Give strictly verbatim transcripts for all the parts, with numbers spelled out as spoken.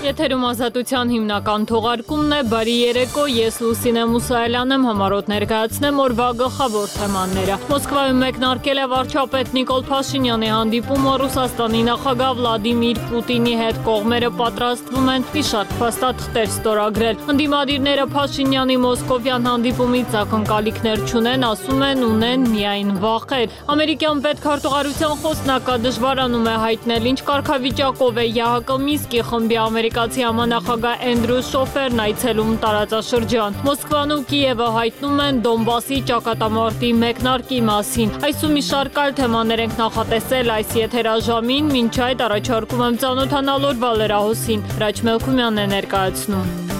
Եթերում ազատության հիմնական թողարկումն է, բարի երեկո, ես Լուսինե Մուսայելյան եմ, համառոտ ներկայացնեմ օրվա գլխավոր թեմաները։ Մոսկվայում մեկնարկել է վարչապետ Նիկոլ Փաշինյանի հանդիպումը Ռուսաստանի նախագահ Վլադիմիր Պուտինի հետ, կողմերը պատրաստվում են մի շարք փաստաթղթեր ստորագրել։ Ընդդիմադիրները Փաշինյանի մոսկովյան հանդիպումից ակնկալիքներ չունեն, ասում են ունեն միայն վախեր։ Ամերիկյան պետքարտուղարության խոսնակը դժվարանում է հայտնել, ինչ կարգավիճակով է ԵԱՀԿ Մինսկի խմբի ամերիկացի համանախագահ Էնդրյու Շոֆերն այցելում տարածաշրջան։ Մոսկվան ու Կիևը հայտնում են Դոնբասի ճակատամարտի մեկնարկի մասին։ Այս ու մի շարք այլ թեմաներ ենք նախատեսել այս եթերաժամին, մինչ այդ առաջարկում եմ ծանոթանալ օրվա լրահոսին։ Հրաչ Մելքումյանն է ներկայացնում։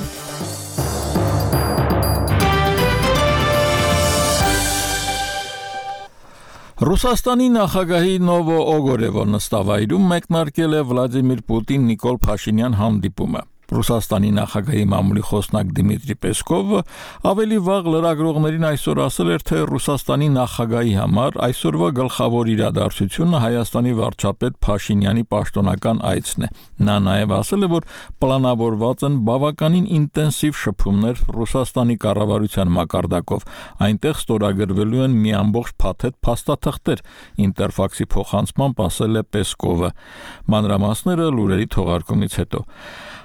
Ռուսաստանի նախագահի Նովո Օգորևո նստավայրում մեկնարկել է Վլադիմիր Պուտին-Նիկոլ Փաշինյան հանդիպումը։ Ռուսաստանի նախագահի մամուլի խոսնակ Դիմիտրի Պեսկովը ավելի վաղ լրագրողներին այսօր ասել էր, թե Ռուսաստանի նախագահի համար այսօրվա գլխավոր իրադարձությունը Հայաստանի վարչապետ Փաշինյանի պաշտոնական այցն է։ Նա նաև ասել է, որ պլանավորված են բավականին ինտենսիվ շփումներ Ռուսաստանի կառավարության մակարդակով։ Այնտեղ ստորագրվելու են մի ամբողջ փաթեթ փաստաթղթեր, Ինտերֆաքսի փոխանցմամբ ասել է Պեսկովը։ Մանրամասները լուրերի թողարկումից հետո։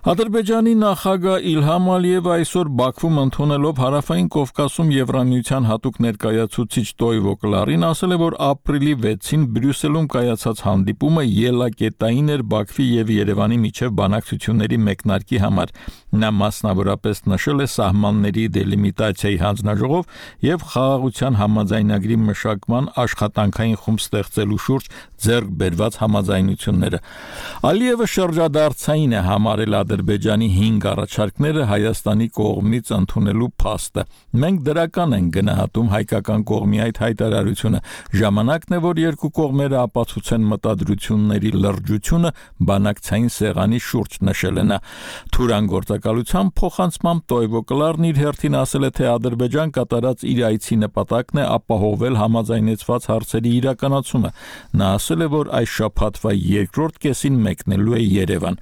Ադրբեջանի նախագահ Իլհամ Ալիևը այսօր Բաքվում ընդունելով Հարավային Կովկասում Եվրամիության հատուկ ներկայացուցիչ Տոյվո Կլարին ասել է, որ ապրիլի վեցին Բրյուսելում կայացած հանդիպումը ելակետային էր Բաքվի եւ Երևանի միջև բանակցությունների մեկնարկի համար։ Նա մասնավորապես նշել է սահմանների դելիմիտացիայի հանձնաժողով եւ խաղաղության համաձայնագրի մշակման աշխատանքային խումբ ստեղծելու շուրջ ձեռք բերված համաձայնությունները։ Ալիևը շրջադարձային է համարել Ադրբեջանի հինգ առաջարկները Հայաստանի կողմից ընդունելու փաստը։ Մենք դրական ենք գնահատում հայկական կողմի այդ հայտարարությունը։ Ժամանակն է, որ երկու կողմերը ապացուցեն մտադրությունների լրջությունը բանակցային սեղանի շուրջ, նշել է նա։ Թուրան գործակալության փոխանցմամբ Տոյվո Կլարն իր հերթին ասել է, թե Ադրբեջան կատարած իր այցի նպատակն է ապահովել համաձայնեցված հարցերի իրականացումը։ Նա ասել է, որ այս շաբաթվա երկրորդ կեսին մեկնելու է Երևան։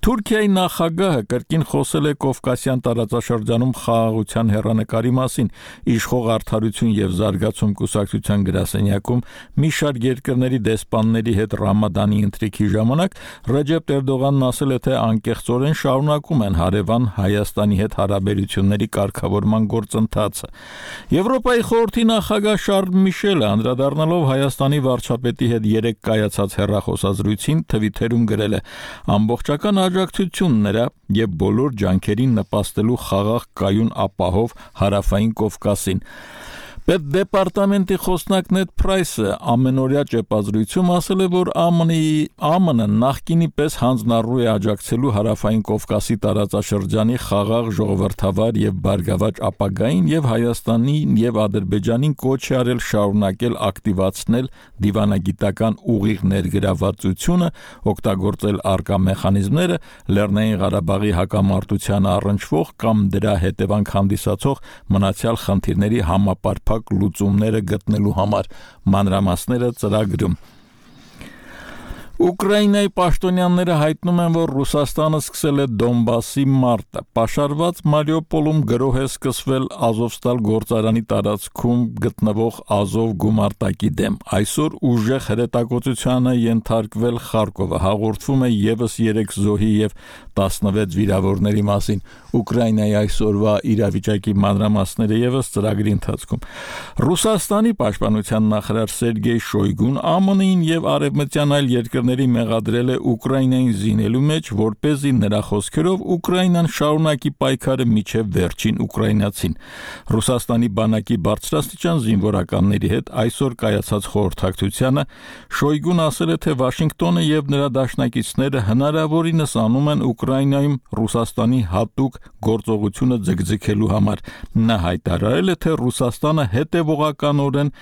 Թուրքիայի նախագահը կրկին խոսել է Կովկասյան տարածաշրջանում խաղաղության հեռանկարի մասին։ Իշխող արդարություն եւ զարգացում կուսակցության գրասենյակում մի շարք երկրների դեսպանների հետ Ռամադանի ընթրիքի ժամանակ Ռեջեփ Էրդողանն ասել է, թե անկեղծորեն շարունակում են հարևան Հայաստանի հետ հարաբերությունների կարգավորման գործընթացը։ Եվրոպայի խորհրդի նախագահ Շարլ Միշելը անդրադառնալով Հայաստանի վարչապետի հետ երեկ կայացած հեռախոսազրույցին Թվիթերում գրել է. ամբողջական աջակցություն նրա եւ բոլոր ջանքերին նպաստելու խաղաղ կայուն ապահով Հարավային Կովկասին։ Պետդեպարտամենտի խոսնակ Նեդ Պրայսը ամենօրյա ճեպազրույցում ասել է, որ ԱՄՆ-ը նախկինի պես հանձնառու է աջակցելու Հարավային Կովկասի տարածաշրջանի խաղաղ, ժողովրդավար եւ բարգավաճ ապագային եւ Հայաստանին եւ Ադրբեջանին կոչ է արել շարունակել ակտիվացնել դիվանագիտական ուղիղ ներգրավվածությունը, օգտագործել առկա մեխանիզմները Լեռնային Ղարաբաղի հակամարտությանը առնչվող կամ դրա հետևանք հանդիսացող մնացյալ խնդիրների համապարփակ լուծումները գտնելու համար։ Մանրամասները ծրագրում։ Ուկրաինայի պաշտոնյաները հայտնում են, որ Ռուսաստանը սկսել է Դոնբասի մարտը։ Պաշարված Մարիուպոլում գրոհ է սկսվել Ազովստալ գործարանի տարածքում գտնվող Ազով գումարտակի դեմ։ Այսօր ուժեղ հրետակոծությանը ենթարկվել Խարկովը, հաղորդվում է եւս երեք զոհի եւ տասնվեց վիրավորների մասին։ Ուկրաինայի այսօրվա իրավիճակի մանրամասները եւս ծրագրի ընթացքում։ Ռուսաստանի պաշտպանության նախարար Սերգեյ Շոյգուն ԱՄՆ-ին եւ արևմտյան այլ երկրների մեղադրել է Ուկրաինային զինելու մեջ, որպեսզի նրա խոսքերով Ուկրաինան շարունակի պայքարը մինչև վերջին ուկրաինացին։ Ռուսաստանի բանակի բարձրաստիճան զինվորականների հետ այսօր կայացած խորհրդակցությանը Շոյգուն ասել է, թե Վաշինգտոնը եւ նրա դաշնակիցները հնարավորինս անում են Ուկրաինայում Ռուսաստանի հատուկ գործողությունը ձգձգելու համար։ Նա հայտարարել է, թե Ռուսաստանը հետևողականորեն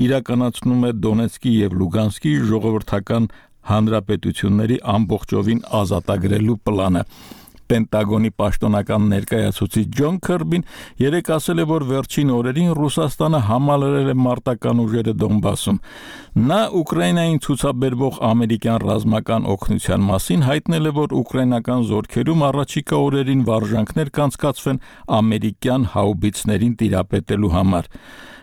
իրականացնում է Դոնեցկի եւ Լուգանսկի ժողովրդական հանրապետությունների ամբողջովին ազատագրելու պլանը։ Պենտագոնի պաշտոնական ներկայացուցիչ Ջոն Քըրբին երեկ ասել է, որ վերջին օրերին Ռուսաստանը համալրել է մարտական ուժերը Դոնբասում։ Նա Ուկրաինային ցուցաբերվող ամերիկյան ռազմական օգնության մասին հայտնել է, որ ուկրաինական զորքերում առաջիկա օրերին վարժանքներ կանցկացվեն ամերիկյան հաուբիցներին տիրապետելու համար։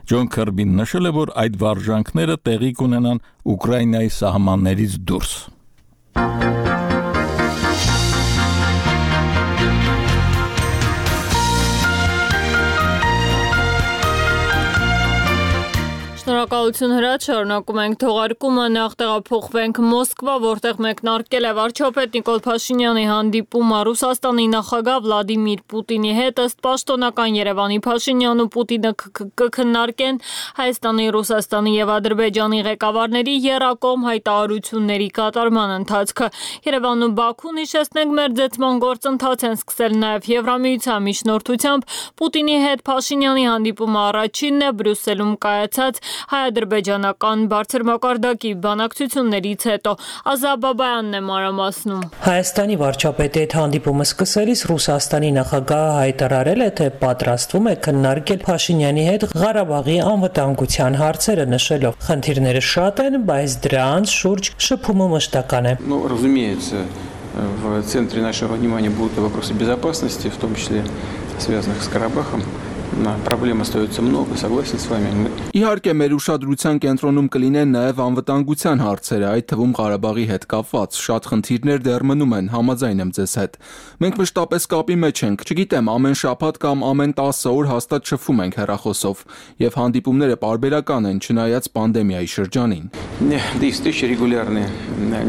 Ջոն Քըրբին նշել է, որ այդ վարժանքները տեղի կունենան Ուկրաինայի սահմաններից դուրս։ Շնորհակալություն հրաչ, շարունակում ենք թողարկումը, նախ տեղափոխվենք Մոսկվա, որտեղ մեկնարկել է վարչապետ Նիկոլ Փաշինյանի հանդիպումը Ռուսաստանի նախագահ Վլադիմիր Պուտինի հետ, ըստ պաշտոնական Երևանի Փաշինյանն ու Պուտինը կքննարկեն Հայաստանի, Ռուսաստանի եւ Ադրբեջանի ղեկավարների եռակողմ հայտարարությունների կատարման ընթացքը։ Երևանն ու Բաքուն, հիշեցնենք, մեր ձգտման գործընթաց են սկսել նաեւ Եվրամիության միջնորդությամբ։ Պուտինի հետ Փաշինյանի հանդիպումը առաջինն է Բրյուսելում կայացած հայ-ադրբեջանական բարձր մակարդակի բանակցություններից հետո։ Ազատ Բաբայանն է մանրամասնում։ Հայաստանի վարչապետի հետ հանդիպումը սկսելիս Ռուսաստանի նախագահը հայտարարել է, թե պատրաստվում է քննարկել Փաշինյանի հետ Ղարաբաղի անվտանգության հարցերը, նշելով, խնդիրները շատ են, բայց դրանց շուրջ շփումը մշտական է։ Ну, разумеется, в центре нашего внимания будут вопросы безопасности, в том числе связанных с Карабахом. Проблем остается много, согласен с вами. Իհարկե մեր ուշադրության կենտրոնում կլինեն նաև անվտանգության հարցերը, այդ թվում Ղարաբաղի հետ կապված շատ խնդիրներ դեռ մնում են, համաձայն եմ ձեզ հետ։ Մենք մշտապես կապի մեջ ենք, չգիտեմ, ամեն շաբաթ կամ ամեն տասը օր հաստատ շփվում ենք հեռախոսով, եւ հանդիպումները պարբերական են, չնայած պանդեմիայի շրջանին։ Да и встречи регулярные,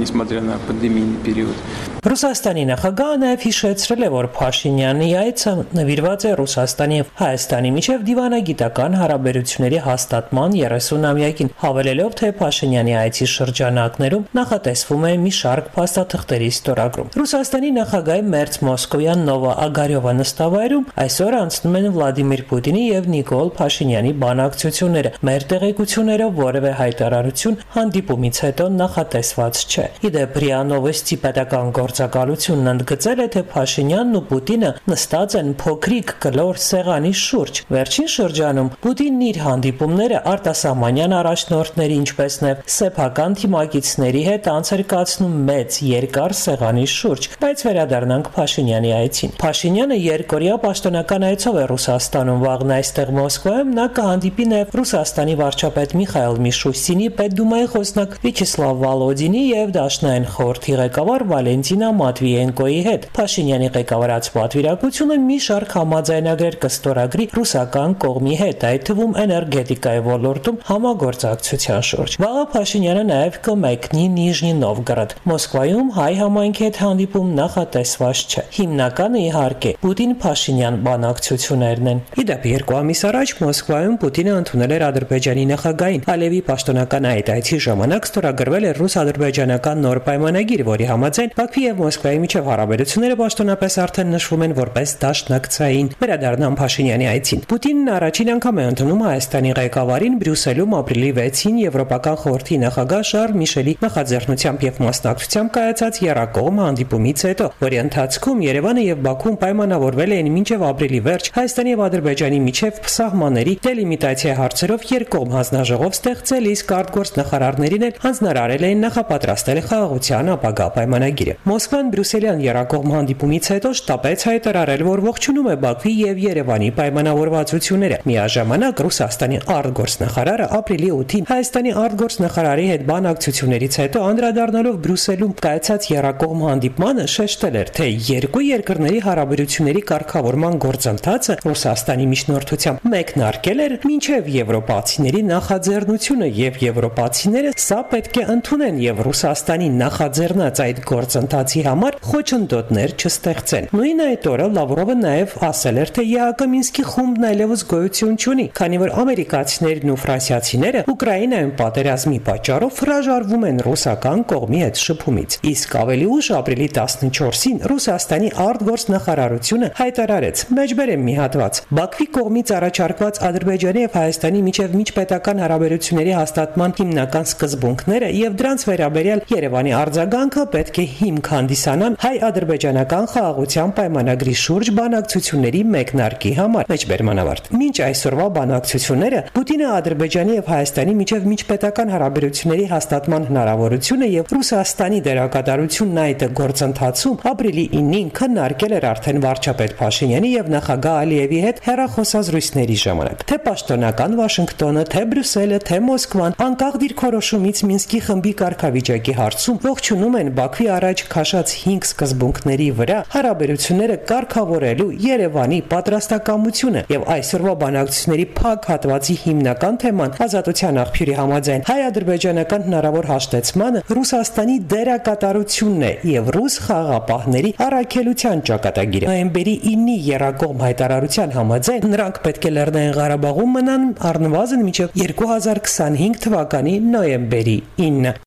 несмотря на пандемийный период. Ռուսաստանի նախագահը նաև հիշեցրել է, որ Փաշինյանի այցը նվիրված է Ռուսաստանի եւ Հայաստանի միջև դիվանագիտական հարաբերությունների հաստատման երեսունամյակին, հավելելով, թե Փաշինյանի այցի շրջանակներում նախատեսվում է մի շարք փաստաթղթերի ստորագրում։ Ռուսաստանի նախագահի մերձ Մոսկովյան Նովա Ագարյովա նստավայրում այսօր անցնում են Վլադիմիր Պուտինի եւ Նիկոլ Փաշինյանի բանակցությունները։ Մեր տեղեկություններով որևէ հայտարարություն հանդիպումից հետո նախատեսված չէ։ Իդեպ ՌԻԱ Նովոստի պետական գործակալությունն ընդգծել է, թե Փաշինյանն ու Պուտինը նստած են փոքրիկ կլոր սեղանի շուրջ։ Վերջին շրջանում Պուտինն իր հանդիպումները արտասահմանյան առաջնորդների, ինչպես նաև սեփական թիմակիցների հետ անցեր կացնում մեծ երկար սեղանի շուրջ, բայց վերադառնանք Փաշինյանի այցին։ Փաշինյանը երկօրյա պաշտոնական այցով է Ռուսաստանում, վաղն այստեղ Մոսկվայում նա կհանդիպի նաև Ռուսաստանի վարչապետ Միխայիլ Միշուստինի, Պետդումայի խոսնակ Վյաչեսլավ Վալոդինի եւ Դաշնային խորհրդի ղեկավար Վալենտինա Մատվիենկոյի հետ։ Փաշինյանի ղեկավարած պատվիրակությունը մի շարք համաձայնագրեր կստորագրի ռուսական կողմի հետ, այդ թվում էներգետիկայի ոլորտում համագործակցության շուրջ։ Վաղը Փաշինյանը նաև կմեկնի Նիժնի Նովգորոդ։ Մոսկվայում հայ համայնքի հետ հանդիպում նախատեսված չէ։ Հիմնականը իհարկե Պուտին-Փաշինյան բանակցություններն են։ Իդեպ երկու ամիս առաջ Մոսկվայում Պուտինը ընդունել էր Ադրբեջանի նախագահին։ Ալիևի պաշտոնական այդ այցի ժամանակ ստորագրվել էր ռուս-ադրբեջանական նոր պայմանագիր, որի համաձայն Բաքվի եւ Մոսկվայի միջև հարաբերությունները պաշտոնապես արդեն նշվում են որպես դաշնակցային։ Վերադառնամ Փաշինյանի այցին։ Պուտինն առաջին անգամ է ընդունում Հայաստանի ղեկավարին Բրյուսելում ապրիլի վեցին Եվրոպական խորհրդի նախագահ Շարլ Միշելի նախաձեռնությամբ եւ մասնակցությամբ կայացած եռակողմ հանդիպումից հետո, որի ընթացքում Երևանը եւ Բաքուն պայմանավորվել էին մինչեւ ապրիլի վերջ Հայաստանի եւ Ադրբեջանի միջև սահմանների դելիմիտացիա հարցերով երկկողմ հանձնաժողով ստեղծել, իսկ արտգործ նախարարներին էլ հանձնարարել էին նախապատրաստել խաղաղության ապագա պայմանագիրը։ Մոսկվան Բրյուսելյան եռակողմ հանդիպումից հետո շտապեց հայտարարել, որ ողջունում է Բաքվի եւ Երևանի պայմանավորվածությունները։ Միաժամանակ Ռուսաստանի արտգործ նախարարը ապրիլի ութին Հայաստանի արտգործ նախարարի հետ բանակցություններից հետո անդրադառնալով Բրյուսելում կայացած եռակողմ հանդիպմանը շեշտել էր, թե երկու երկրների հարաբերությունների կարգավորման գործընթացը Ռուսաստանի միջնորդությամբ մեկնարկել էր մինչև եվրոպացիների նախաձեռնությունը եւ եվրոպացիները սա պետք է ընդունեն եւ Ռուսաստանի նախաձեռնած այդ գործընթացի համար խոչընդոտներ չստեղծեն։ Նույն այդ օրը Լավրովը նաև ասել էր, թե ԵԱՀԿ Մինսկի խումբն այլևս գոյություն չունի, քանի որ ամերիկացիները ամերիկացիներն ու ֆրանսիացիները Ուկրաինայում պատերազմի պատճառով հրաժարվում են ռուսական կողմի հետ շփումից։ Իսկ ավելի ուշ ապրիլի տասնչորսին Ռուսաստանի արտգործնախարարությունը հայտարարեց. «Մեջբերեմ մի հատված. Բաքվի կողմից առաջարկված Ադրբեջանի եւ Հայաստանի միջև միջպետական հարաբերությունների հաստատման հիմնական սկզբունքները եւ դրանց վերաբերյալ Երևանի արձագանքը պետք է հիմք հանդիսանան հայ-ադրբեջանական խաղաղության պայմանագրի շուրջ բանակցությունների մեկնարկի համար»։ Մեջբերմանավարտ։ Մինչ այսօրվա բանակցությունները Պուտինը Ադրբեջանի եւ Հայաստանի միջև միջպետական հարաբերությունների հաստատման հնարավորությունը եւ Ռուսաստանի դերակատարությունն այդ գործընթացում ապրիլի ինին քննարկել էր արդեն վարչապետ Փաշինյանի եւ նախագահ Ալիևի հետ հեռախոսազրույցների ժամանակ։ Թե պաշտոնական Վաշինգտոնը, թե Բրյուսելը, թե Մոսկվան անկախ դիրքորոշումից Մինսկի խմբի կարգավիճակի հարցում ողջունում են Բաքվի առաջ քաշած հինգ սկզբունքների վրա հարաբերությունները կարգավորելու Երևանի պատրաստակամությունը եւ այսօրվա բանակցությունների փակ հատվածի հիմնական թեման ազատության աղբյուրի համաձայն հայ-ադրբեջանական հնարավոր հաշտեցմանը Ռուսաստանի դերակատարությունն է եւ ռուս խաղաղապահների առաքելության ճակատագիրը։ Նոյեմբերի ինի երակողմ հայտարարության համաձայն նրանք պետք է Լեռնային Ղարաբաղում մնան առնվազն մինչև երկու հազար քսանհինգ թվականի նոյեմբերի ինը։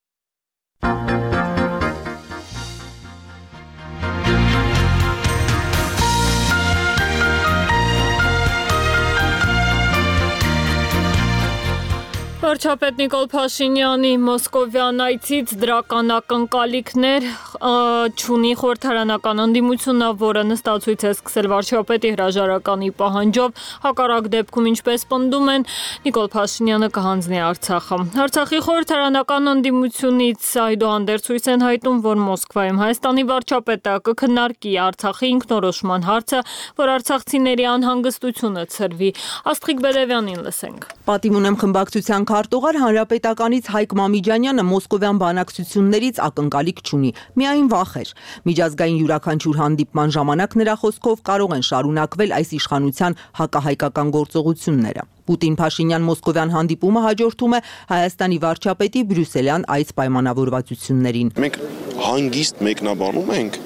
Վարչապետ Նիկոլ Փաշինյանի մոսկովյան այցից դրական ակնկալիքներ չունի խորհրդարանական ընդդիմությունը, որը նստացույց է սկսել վարչապետի հրաժարականի պահանջով, հակառակ դեպքում, ինչպես պնդում են, Նիկոլ Փաշինյանը կհանձնի Արցախը։ Արցախի խորհրդարանական ընդդիմությունից այդուհանդերձ ցույց են հայտնում, որ Մոսկվայում Հայաստանի վարչապետը կքննարկի Արցախի ինքնորոշման հարցը, որ արցախցիների անհանգստությունը ցրվի։ Աստղիկ Բերևյանին լսենք։ Պատիվ ունեմ խմբակցության քարտուղար Հանրապետականից Հայկ Մամիջանյանը մոսկովյան բանակցություններից ակնկալիք չունի, միայն վախեր։ Միջազգային յուրաքանչյուր հանդիպման ժամանակ նրա խոսքով կարող են շարունակվել այս իշխանության հակահայկական գործողությունները։ Պուտին-Փաշինյան մոսկովյան հանդիպումը հաջորդում է Հայաստանի վարչապետի բրյուսելյան այց պայմանավորվածություններին։ Մենք հանգիստ մեկնաբանում ենք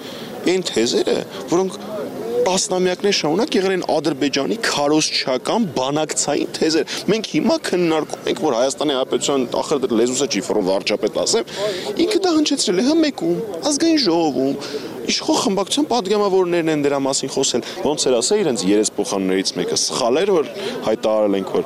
այն թեզերը, որոնք տասնամյակներ շարունակ եղել են Ադրբեջանի քարոզչական բանակցային թեզեր։ Մենք հիմա քննարկում ենք, որ Հայաստանի Հանրապետության ախր լեզուսը չի ֆորում վարչապետ ասեմ, ինքը դա հնչեցրել է հմեկում, ազգային ժողովում, իշխող խմբակցության պատգամավորներն են դրա մասին խոսել։ Ոնց էր ասել իրենց երեսփոխաններից մեկը սխալ էր, որ հայտարարել ենք, որ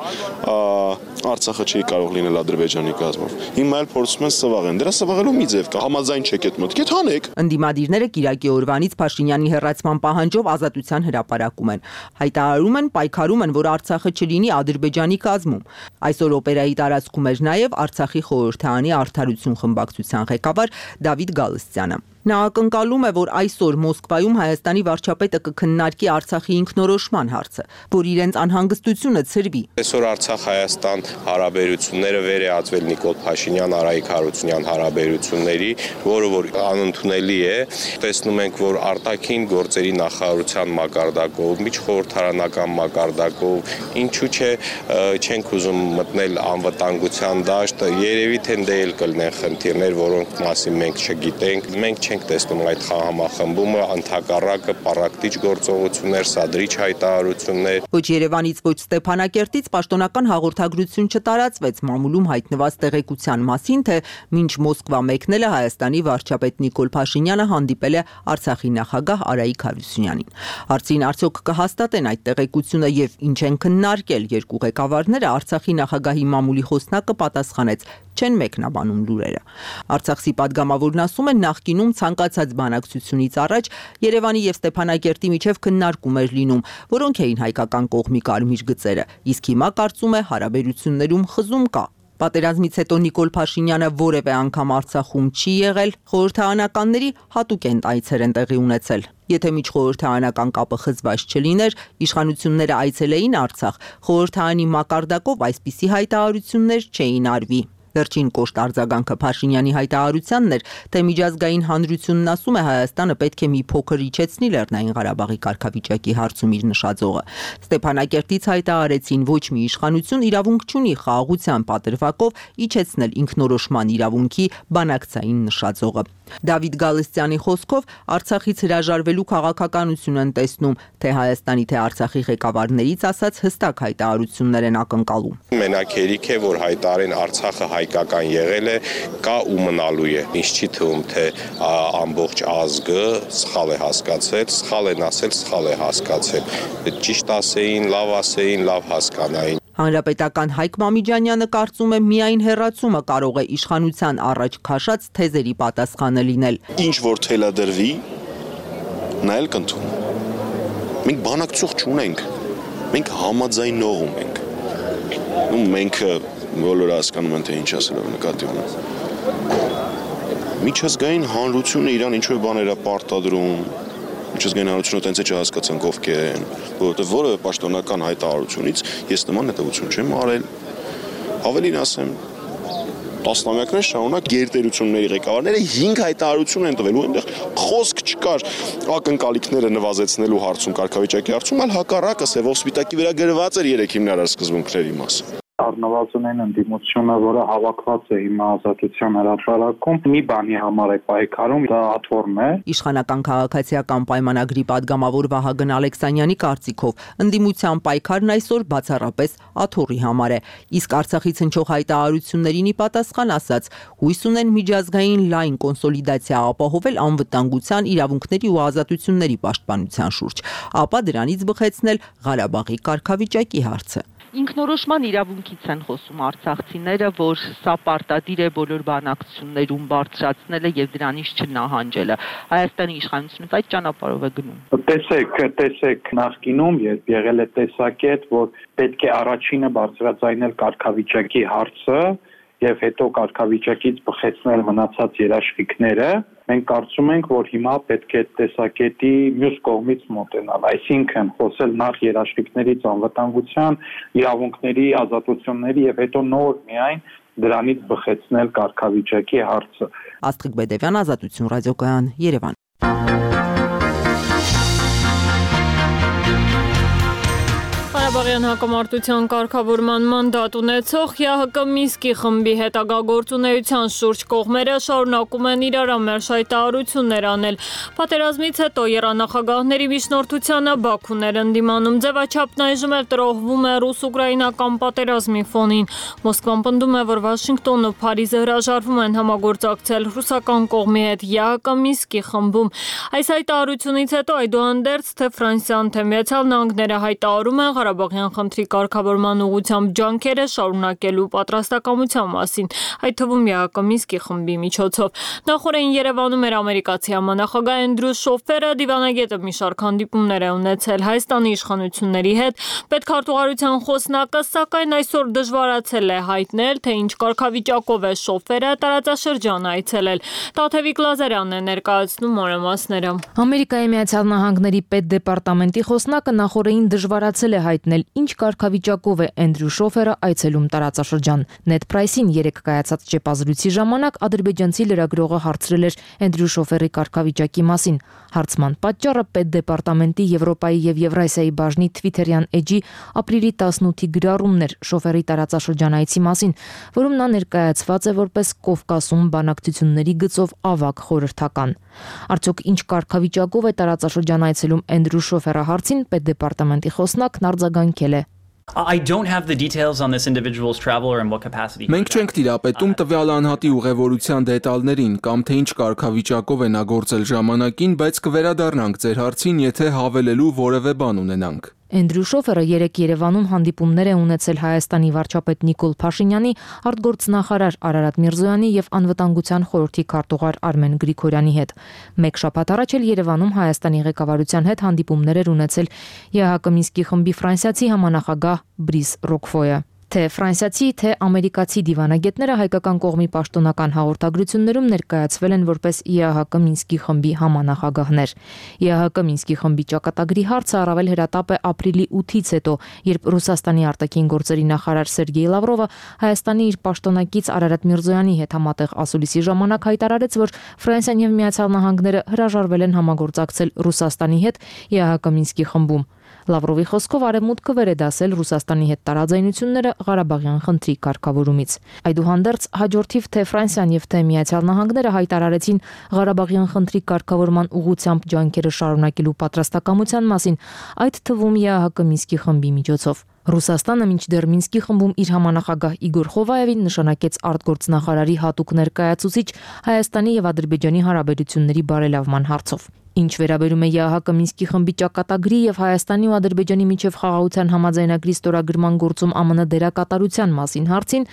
Արցախը չի կարող լինել Ադրբեջանի կազմով։ Հիմա էլ փորձում են սվաղեն։ Դրա սվաղելու մի ձև կա, համաձայն չեք այդ մտքի, հանեք։ Ընդդիմադիրները Կիրակի օրվանից Փաշինյանի հեռացման պահանջով ազատության հրապարակում են։ Հայտարարում են, պայքարում են, որ Արցախը չլինի Ադրբեջանի կազմում։ Այսօր օպերայի տարածքում էր նաև Արցախի խորհրդարանի արդարություն խմբակցության ղեկավար Դավիթ Գալստյանը։ Նա ակնկալում է, որ այսօր Մոսկվայում Հայաստանի վարչապետը կքննարկի Արցախի ինքնորոշման հարցը, որ իրենց անհանգստությունը ցրվի։ Այսօր Արցախ-Հայաստան հարաբերությունները վերեածվել Նիկոլ Փաշինյան-Արայիկ Հարությունյան հարաբերությունների, որը որ անընդունելի է։ Տեսնում ենք, որ արտաքին գործերի նախարարության մակարդակով, միջխորհրդարանական մակարդակով, ինչու՞ չէ, չենք ուզում մտնել անվտանգության դաշտ, երևի թե դե էլ կլինեն խնդիրներ, որոնք մասին մենք չգիտենք։ Մենք չենք տեսնում այդ համախմբումը, ընդհակառակը պառակտիչ գործողություններ, սադրիչ հայտարարություններ։ Ոչ Երևանից, ոչ Ստեփանակերտից պաշտոնական հաղորդագրություն չտարածվեց մամուլում հայտնված տեղեկության մասին, թե մինչ Մոսկվա մեկնել է Հայաստանի վարչապետ Նիկոլ Փաշինյանը հանդիպել է Արցախի նախագահ Արայիկ Հարությունյանին։ Հարցին արդյոք կհաստատեն այդ տեղեկությունը եւ ինչ են քննարկել երկու ղեկավարները, Արցախի նախագահի մամուլի խոսնակը պատասխանեց. չեն մեկնաբանում լուրերը։ Արցախի падգամավորն ասում է, նախկինում ցանկացած բանակցությունից առաջ Երևանի եւ Ստեփանակերտի միջև քննարկում էր լինում, որոնք էին հայկական կողմի կարմիր գծերը, իսկ հիմա կարծում է հարաբերություններում խզում կա։ Պատերազմից հետո Նիկոլ Փաշինյանը որևէ անգամ Արցախում չի եղել, խորհրդարանականների հատուկ են այցեր են տեղի ունեցել։ Եթե միջխորհրդարանական կապը խզված չլիներ, իշխանությունները այցելեին Արցախ, խորհրդարանի մակարդակով այսպիսի հայտարարություններ չէին արվի։ Վերջին կոշտ արձագանքը Փաշինյանի հայտարարությանն էր, թե միջազգային հանրությունն ասում է Հայաստանը պետք է մի փոքր իջեցնի Լեռնային Ղարաբաղի կարգավիճակի հարցում իր նշաձողը։ Ստեփանակերտից հայտարարեցին ոչ մի իշխանություն իրավունք չունի խաղաղության պատրվակով իջեցնել ինքնորոշման իրավունքի բանակցային նշաձողը։ Դավիթ Գալստյանի խոսքով Արցախից հրաժարվելու քաղաքականություն են տեսնում, թե Հայաստանի թե Արցախի ղեկավարներից ասած հստակ հայտարարություններ են ակնկալում։ Մենակ հերիք է, որ հայտարարեն Արցախը հայկական եղել է, կա ու մնալու է։ Ինչ չի թվում, թե ամբողջ ազգը սխալ է հասկացել, սխալ են ասել, սխալ է հասկացել։ Ճիշտ ասեին, լավ ասեին, լավ հասկանային։ Հանրապետական Հայկ Մամիջանյանը կարծում է միայն հեռացումը կարող է իշխանության առաջ քաշած թեզերի պատասխանը լինել։ Ինչ որ թելադրվի, նա էլ կընդունի։ Մենք բանակցող չունենք, մենք համաձայնողում ենք։ Ու մենք բոլորը հասկանում են, թե ինչ ասելով նկատի ունեն։ Միջազգային հանրությունը իրան ինչ-որ բաներ է պարտադրում։ Միջազգային հանրությունը տենց է չհասկացանք ովքեր են, որովհետև որևէ պաշտոնական հայտարարությունից ես նման հետևություն չեմ արել։ Ավելին ասեմ, տասնամյակներ շարունակ գերտերությունների ղեկավարները հինգ հայտարարություն են տվել ու այնտեղ խոսք չկար ակնկալիքները նվազեցնելու հարցում, կարգավիճակի հարցում, այլ հակառակը սևով սպիտակի վրա գրված էր երեք հիմնարար սկզբունքների մասը։ Առնվազն ընդդիմությունը, որը հավաքված է հիմա Ազատության հրապարակում, մի բանի համար է պայքարում, դա աթոռն է։ Իշխանական քաղաքացիական պայմանագրի падգամավոր Վահագն Ալեքսանյանի կարծիքով ընդդիմության պայքարն այսօր բացառապես աթոռի համար է, իսկ Արցախից հնչող հայտարարություններին ի պատասխան ասած, հույս ունեն միջազգային լայն կոնսոլիդացիա ապահովել անվտանգության, իրավունքների ու ազատությունների պաշտպանության շուրջ, ապա դրանից բխեցնել Ղարաբաղի կարգավիճակի հարցը։ Ինքնորոշման իրավունքից են խոսում արցախցիները, որ սա պարտադիր է բոլոր բանակցություններում բարձրացնելը եւ դրանից չնահանջելը։ Հայաստանի իշխանությունից այդ ճանապարհով է գնում։ Տեսեք, տեսեք նախկինում, երբ եղել է տեսակետ, որ պետք է առաջինը բարձրաձայնել կարգավիճակի հարցը եւ հետո կարգավիճակից բխեցնել մնացած երաշխիքները, մենք կարծում ենք, որ հիմա պետք է տեսակետի մյուս կողմից մոտենալ, այսինքն խոսել նախ երաշխիքներից անվտանգության, իրավունքների, ազատությունների եւ հետո նոր միայն դրանից բխեցնել կարգավիճակի հարցը։ Աստղիկ Բեդևյան, Ազատություն ռադիոկայան, Երևան։ Ղարաբաղյան հակամարտության կարգավորման մանդատ ունեցող ԵԱՀԿ Մինսկի խմբի հետագա գործունեության շուրջ կողմերը շարունակում են իրարամերժ հայտարարություններ անել։ Պատերազմից հետո եռանախագահների միջնորդությանը Բաքուն էր ընդդիմանում, ձևաչափն այժմ էլ տրոհվում է ռուս-ուկրաինական պատերազմի ֆոնին։ Մոսկվան պնդում է, որ Վաշինգտոնն ու Փարիզը հրաժարվում են համագործակցել ռուսական կողմի հետ ԵԱՀԿ Մինսկի խմբում։ Այս հայտարարությունից հետո այդուհանդերձ թե Ֆրանսիան, թե Միացյալ Նահանգները հայտարարում են Ղարաբաղյան խնդրի կարգավորման ուղղությամբ ջանքերը շարունակելու պատրաստակամության մասին, այդ թվում ԵԱՀԿ Մինսկի խմբի միջոցով։ Նախորդին Երևանում էր ամերիկացի համանախագահ Էնդրյու Շոֆերը, դիվանագետը մի շարք հանդիպումներ է ունեցել Հայաստանի իշխանությունների հետ։ Պետքարտուղարության խոսնակը, սակայն այսօր դժվարացել է հայտնել, թե ինչ կարգավիճակով է Շոֆերը տարածաշրջան այցելել։ Տաթևիկ Լազարյանն է ներկայացնում մանրամասները։ Ամերիկայի Միացյալ Նահանգների պետդեպարտամենտի խոսնակը նախորդին դժվարացել է հայտնել, ինչ կարգավիճակով է Էնդրյու Շոֆերը այցելում տարածաշրջան։ Նեդ Պրայսին երեկ կայացած ճեպազրույցի ժամանակ ադրբեջանցի լրագրողը հարցրել էր Էնդրյու Շոֆերի կարգավիճակի մասին։ Հարցման պատճառը պետդեպարտամենտի Եվրոպայի եւ Եվրասիայի բաժնի Թվիթերյան էջի ապրիլի տասնութի գրառումն էր Շոֆերի տարածաշրջան այցի մասին, որում նա ներկայացված է որպես Կովկասում բանակցությունների գծով ավագ խորհրդական։ Արդյոք ինչ կարգավիճակով է տարածաշրջան այցելում Էնդրյու Շոֆերը հարցին պետդեպարտամենտի խոսնակն արձագանքել է. I don't have the details on this individual's travel or in what capacity. Մենք չենք տիրապետում տվյալ անհատի ուղևորության դետալներին կամ թե ինչ կարգավիճակով է նա գործել ժամանակին, բայց կվերադառնանք ձեր հարցին, եթե հավելելու որևէ բան ունենանք։ Էնդրյու Շոֆերը երեկ Երևանում հանդիպումներ է ունեցել Հայաստանի վարչապետ Նիկոլ Փաշինյանի, արտգործնախարար Արարատ Միրզոյանի եւ անվտանգության խորհրդի քարտուղար Արմեն Գրիգորյանի հետ։ Մեկ շաբաթ առաջ էլ Երևանում Հայաստանի ղեկավարության հետ հանդիպումներ էր ունեցել ԵԱՀԿ Մինսկի խմբի ֆրանսիացի համանախագահ Բրիս Ռոկֆոյը։ Թե ֆրանսիացի, թե ամերիկացի դիվանագետները հայկական կողմի պաշտոնական հաղորդագրություններում ներկայացվել են որպես ի ա հա կը Մինսկի խմբի համանախագահներ։ ի ա հա կը Մինսկի խմբի ճակատագրի հարցը առավել հրատապ է ապրիլի ութից հետո, երբ Ռուսաստանի արտաքին գործերի նախարար Սերգեյ Լավրովը Հայաստանի իր պաշտոնակից Արարատ Միրզոյանի հետ համատեղ ասուլիսի ժամանակ հայտարարեց, որ Ֆրանսիան եւ Միացյալ Նահանգները հրաժարվել են համագործակցել Ռուսաստանի հետ ի ա հա կը Մինսկի խմբում։ Լավրովի խոսքով արևմուտքը վերեդասել Ռուսաստանի հետ տարաձայնությունները Ղարաբաղյան խնդրի կարգավորումից։ Այդուհանդերձ հաջորդիվ թե Ֆրանսիան եւ թե Միացյալ Նահանգները հայտարարեցին Ղարաբաղյան խնդրի կարգավորման ուղղությամբ ջանքերը շարունակելու պատրաստակամության մասին, այդ թվում ի ա հա կը Մինսկի խմբի միջոցով։ Ռուսաստանը մինչդեռ Մինսկի խմբում իր համանախագահ Իգոր Խովայևին նշանակեց արտգործնախարարի հատուկ ներկայացուցիչ Հայաստանի եւ Ադրբեջանի հարաբերությունների բարելավման հարցով։ Ինչ վերաբերում է ի ա հա կը Մինսկի խմբի ճակատագրի եւ Հայաստանի ու Ադրբեջանի միջև խաղաղության համաձայնագրի ստորագրման գործում ա մը ն դերակատարության մասին հարցին,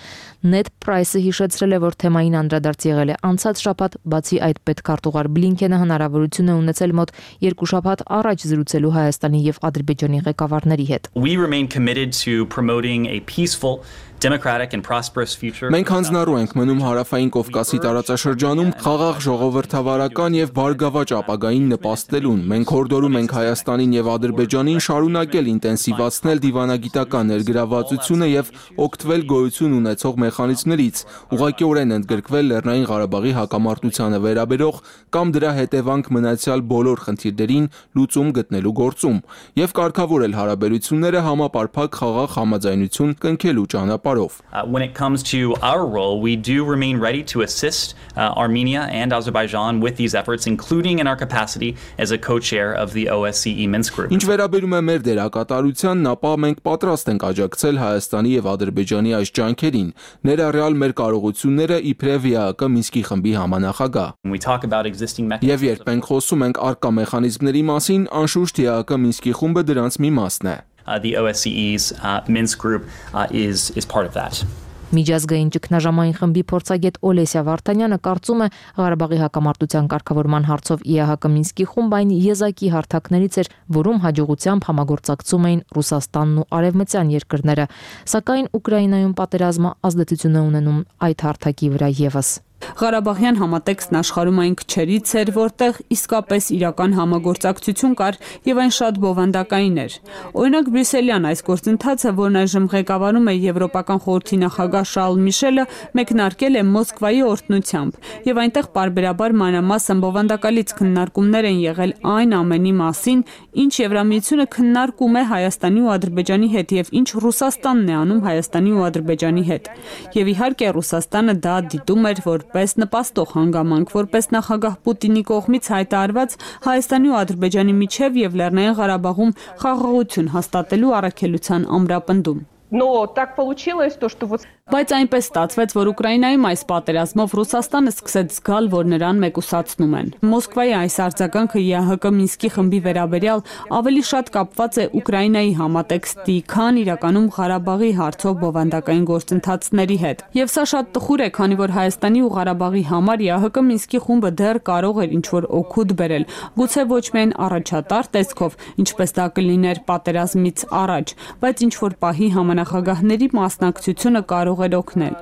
Նեդ Պրայսը հիշեցրել է, որ թեմային անդրադարձ եղել է անցած շաբաթ, բացի այդ պետքարտուղար Բլինքենը հնարավորություն է ունեցել մոտ երկու շաբաթ առաջ զրուցելու Հայաստանի եւ Ադրբեջանի ղեկավարների հետ։ We remain committed to promoting a peaceful, democratic and prosperous future. Մենք հանձնառու ենք մնում Հարավային Կովկասի տարածաշրջանում խաղաղ ժողովրդավարական եւ բարգավաճ ապագային նպաստելուն։ Մենք հորդորում ենք Հայաստանին եւ Ադրբեջանին շարունակել ինտենսիվացնել դիվանագիտական ներգրավվածությունը եւ օգտվել գոյություն ունեցող մեխանիզմներից, ուղղակիորեն ընդգրկվել Լեռնային Ղարաբաղի հակամարտությանը վերաբերող կամ դրա հետևանք մնացյալ բոլոր խնդիրներին լուծում գտնելու գործում եւ կարգավորել հարաբերությունները համապարփակ խաղաղ համաձայնություն կնքելու ճանապարհով։ Uh, when it comes to our role, we do remain ready to assist uh, Armenia and Azerbaijan with these efforts, including in our capacity as a co-chair of the O S C E Minsk group. Ինչ վերաբերում է մեր դերակատարությանն, ապա մենք պատրաստ ենք աջակցել Հայաստանի եւ Ադրբեջանի այս ջանքերին, ներառյալ մեր կարողությունները իբրև ի ա հա կը Մինսկի խմբի համանախագահ։ We talk about existing mechanisms. Եվ երբ մենք խոսում ենք առկա մեխանիզմների մասին, անշուշտ ի ա հա կը Մինսկի խումբը դրանց մի մասն է։ Uh, the O S C E's uh, Minsk group uh, is is part of that. Միջազգային ճգնաժամային խմբի փորձագետ Օլեսիա Վարդանյանը կարծում է Ղարաբաղի հակամարտության կարգավորման հարցով ի ա հա կը Մինսկի խումբը այն եզակի հարթակներից էր, որում հաջողությամբ համագործակցում էին Ռուսաստանն ու արևմտյան երկրները, սակայն Ուկրաինայում պատերազմը ազդեցություն է ունենում այդ հարթակի վրա եւս։ Ղարաբաղյան համատեքստն աշխարհում այն քչերից էր, որտեղ իսկապես իրական համագործակցություն կար եւ այն շատ բովանդակային էր։ Օրինակ Բրյուսելյան այս գործընթացը, որն այժմ ղեկավարում է Եվրոպական խորհրդի նախագահ Շարլ Միշելը, մեկնարկել է Մոսկվայի օրհնությամբ եւ այնտեղ պարբերաբար մանրամասն բովանդակալից քննարկումներ են եղել այն ամենի մասին, ինչ Եվրամիությունը քննարկում է Հայաստանի ու Ադրբեջանի հետ եւ ինչ Ռուսաստանն է անում Հայաստանի ու Ադրբեջանի հետ։ Եվ իհարկե Ռուսաստանը դա դիտում էր, որ պես նպաստող հանգամանք, որպես նախագահ Պուտինի կողմից հայտարարված Հայաստանի ու Ադրբեջանի միջև եւ Լեռնային Ղարաբաղում խաղաղություն հաստատելու առաքելության ամրապնդում։ Но так получилось, то, что вот Բայց այնպես ստացվեց, որ Ուկրաինայում այս պատերազմով Ռուսաստանը սկսեց զգալ, որ նրան մեկուսացնում են։ Մոսկվայի այս արձագանքը ի ա հա կը Մինսկի խմբի վերաբերյալ ավելի շատ կապված է Ուկրաինայի համատեքստի, քան իրականում Ղարաբաղի հարցով բովանդակային գործընթացների հետ։ Եվ սա շատ տխուր է, քանի որ Հայաստանի ու Ղարաբաղի համար ի ա հա կը Մինսկի խումբը դեռ կարող էր ինչ-որ օգուտ բերել, գուցե ոչ միայն առաջատար տեսքով, ինչպես դա կլիներ պատերազմից առաջ, բայց ինչ-որ պահի համանախագահների մասնակցությունը կարող էր օգնել։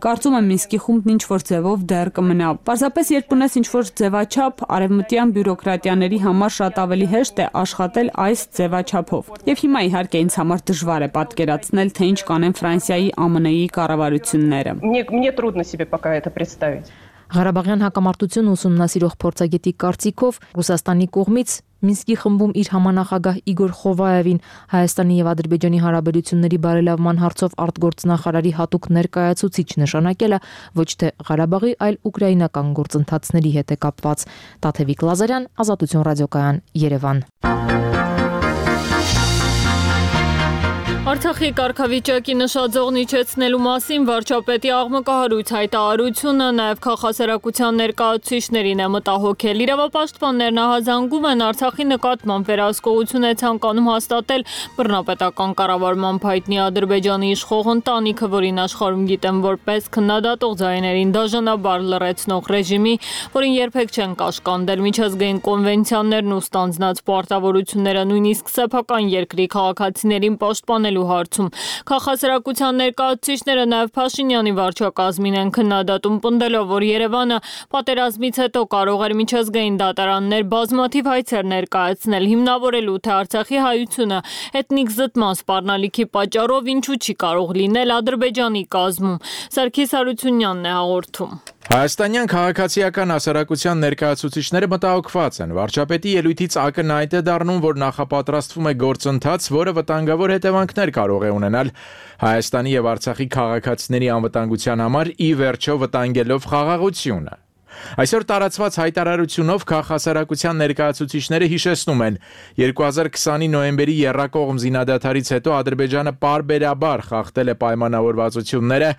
Կարծում եմ Մինսկի խումբն ինչ-որ ձևով դեռ կմնա։ Պարզապես երբ ունես ինչ-որ ձևաչափ, արևմտյան բյուրոկրատիաների համար շատ ավելի հեշտ է աշխատել այս ձևաչափով։ Եվ հիմա իհարկե ինձ համար դժվար է պատկերացնել, թե ինչ կանեն Ֆրանսիայի, ա մը ն-ի կառավարությունները։ Мне мне трудно себе пока это представить. Ղարաբաղյան հակամարտությունը ուսումնասիրող փորձագետի կարծիքով Ռուսաստանի կողմից Մինսկի խմբում իր համանախագահ Իգոր Խովայևին Հայաստանի եւ Ադրբեջանի հարաբերությունների բարելավման հարցով արտգործնախարարի հատուկ ներկայացուցիչ նշանակելը ոչ թե Ղարաբաղի, այլ ուկրաինական գործընթացների հետ է կապված։ Տաթևիկ Լազարյան, Ազատություն ռադիոկայան, Երևան։ Արցախի կարգավիճակի նշաձողն իջեցնելու մասին վարչապետի աղմկահարույց հայտարարությունը նաև քաղաքասարակության ներկայացուցիչներին է մտահոգել։ Իրավապաշտպաններն ահազանգում են Արցախի նկատմամբ վերահսկողություն է ցանկանում հաստատել բռնապետական կառավարման փայտնի Ադրբեջանի իշխող ընտանիքը, որին աշխարհում գիտեն որպես քննադատող ձայներին դաժանաբար լռեցնող ռեժիմի, որին երբեք չեն կաշկանդել միջազգային կոնվենցիաներն ու ստանձնած պարտավորությունները, նույնիսկ սեփական երկրի քաղաքացիներին պաշտպանելու ստանալու հարցում։ Քաղաքասարակության ներկայացուցիչները նաև Փաշինյանի վարչակազմին են քննադատում, պնդելով, որ Երևանը պատերազմից հետո կարող էր միջազգային դատարաններ բազմաթիվ հայցեր ներկայացնել, հիմնավորելու թե Արցախի հայությունը էթնիկ զտման սպառնալիքի պատճառով ինչու չի կարող լինել Ադրբեջանի կազմում։ Սարգիս Հարությունյանն է հաղորդում։ Հայաստանյան քաղաքացիական հասարակության ներկայացուցիչները մտահոգված են։ Վարչապետի ելույթից ակնհայտ է դառնում, որ նախապատրաստվում է գործընթաց, որը վտանգավոր հետևանքներ կարող է ունենալ Հայաստանի եւ Արցախի քաղաքացիների անվտանգության համար, ի վերջո վտանգելով խաղաղությունը։ Այսօր տարածված հայտարարությունով քաղաքասարակության ներկայացուցիչները հիշեցնում են երկու հազար քսանի նոյեմբերի եռակողմ զինադադարից հետո Ադրբեջանը պարբերաբար խախտել է պայմանավորվածությունները,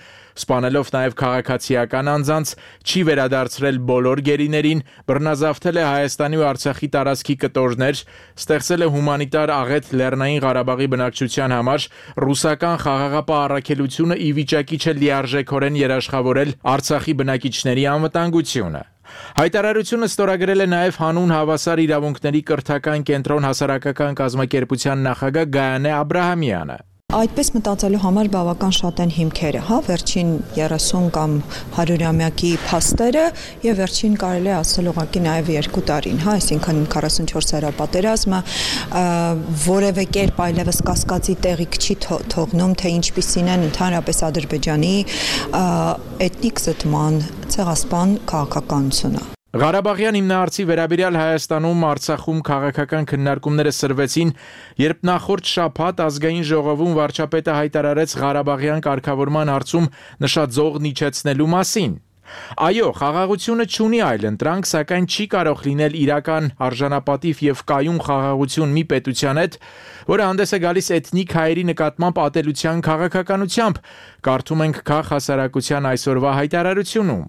սպանելով նաև քաղաքացիական անձանց, չի վերադարձրել բոլոր գերիներին, բռնազավթել է Հայաստանի ու Արցախի տարածքի կտորներ, ստեղծել է հումանիտար աղետ Լեռնային Ղարաբաղի բնակչության համար, ռուսական խաղաղապահ առաքելությունը ի վիճակի չէ լիարժեքորեն երաշխավորել Արցախի բնակիչների անվտանգությունը։ Հայտարարությունը ստորագրել է նաև հանուն հավասար իրավունքների կրթական կենտրոն հասարակական կազմակերպության նախագահ Գայանե Աբրահամյանը։ Այդպես մտածելու համար բավական շատ են հիմքերը, հա, վերջին երեսուն կամ հարյուրամյակի փաստերը եւ վերջին կարելի է ասել ուղղակի նաեւ երկու տարին, հա, այսինքն քառասունչորս օրյա պատերազմը որևէ կերպ այլևս կասկածի տեղիք չի թողնում, թե ինչպիսին են ընդհանրապես Ադրբեջանի էթնիկ զտման ցեղասպան քաղաքականությունը։ Ղարաբաղյան հիմնահարցի վերաբերյալ Հայաստանում, Արցախում քաղաքական քննարկումները սրվեցին, երբ նախորդ շաբաթ ազգային ժողովում վարչապետը հայտարարեց Ղարաբաղյան կարգավորման հարցում նշաձողն իջեցնելու մասին։ Այո, խաղաղությունը չունի այլընտրանք, սակայն չի կարող լինել իրական արժանապատիվ եւ կայուն խաղաղություն մի պետության հետ, որը հանդես է գալիս էթնիկ հայերի նկատմամբ ատելության քաղաքականությամբ, կարդում ենք քաղաքասարակության այսօրվա հայտարարությունում։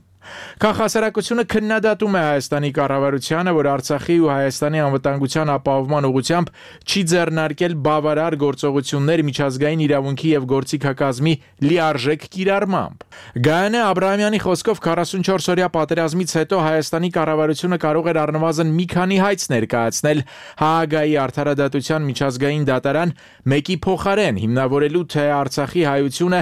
Քաղաքասարակությունը քննադատում է Հայաստանի կառավարությանը, որ Արցախի ու Հայաստանի անվտանգության ապահովման ուղղությամբ չի ձեռնարկել բավարար գործողություններ միջազգային իրավունքի եւ գործիքակազմի լիարժեք կիրառմամբ։ Գայանե Աբրահամյանի խոսքով քառասունչորս օրյա պատերազմից հետո Հայաստանի կառավարությունը կարող էր առնվազն մի քանի հայց ներկայացնել Հաագայի արդարադատության միջազգային դատարան մեկի փոխարեն, հիմնավորելու թե Արցախի հայությունը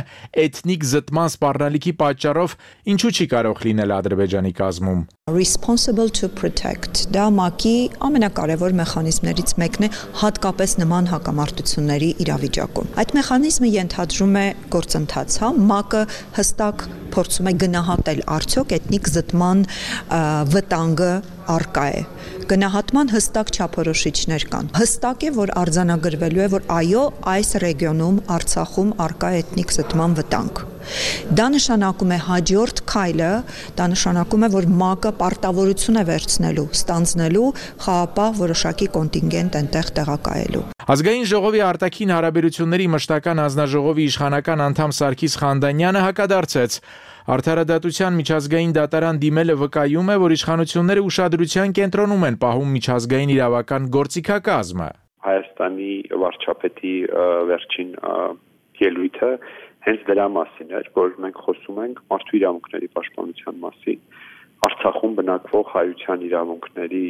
էթնիկ զտման սպառնալիքի պատճառով ինչու չի կարող լինել Ադրբեջանի կազմում։ Responsible to protect դա ՄԱԿ-ի ամենակարևոր մեխանիզմներից մեկն է, հատկապես նման հակամարտությունների իրավիճակում։ Այդ մեխանիզմը ենթադրում է գործընթաց, հա, ՄԱԿ-ը հստակ փորձում է գնահատել արդյոք էթնիկ զտման վտանգը առկա է։ Գնահատման հստակ չափորոշիչներ կան։ Հստակ է, որ արձանագրվելու է, որ այո, այս ռեգիոնում, Արցախում առկա է էթնիկ զտման վտանգ։ Դա նշանակում է հաջորդ քայլը, դա նշանակում է, որ ՄԱԿ-ը պարտավորություն է վերցնելու, ստանձնելու խաղապահ որոշակի կոնտինգենտ այնտեղ տեղակայելու։ Ազգային ժողովի արտաքին հարաբերությունների մշտական հանձնաժողովի իշխանական անդամ Սարգիս Խանդանյանը հակադարձեց։ Արդարադատության միջազգային դատարան դիմելը վկայում է, որ իշխանությունները ուշադրության կենտրոնում են պահում միջազգային իրավական գործիքակազմը։ Հայաստանի վարչապետի վերջին ելույթը հենց դրա մասին էր, որ մենք խոսում ենք մարդու իրավունքների պաշտպանության մասին, Արցախում բնակվող հայության իրավունքների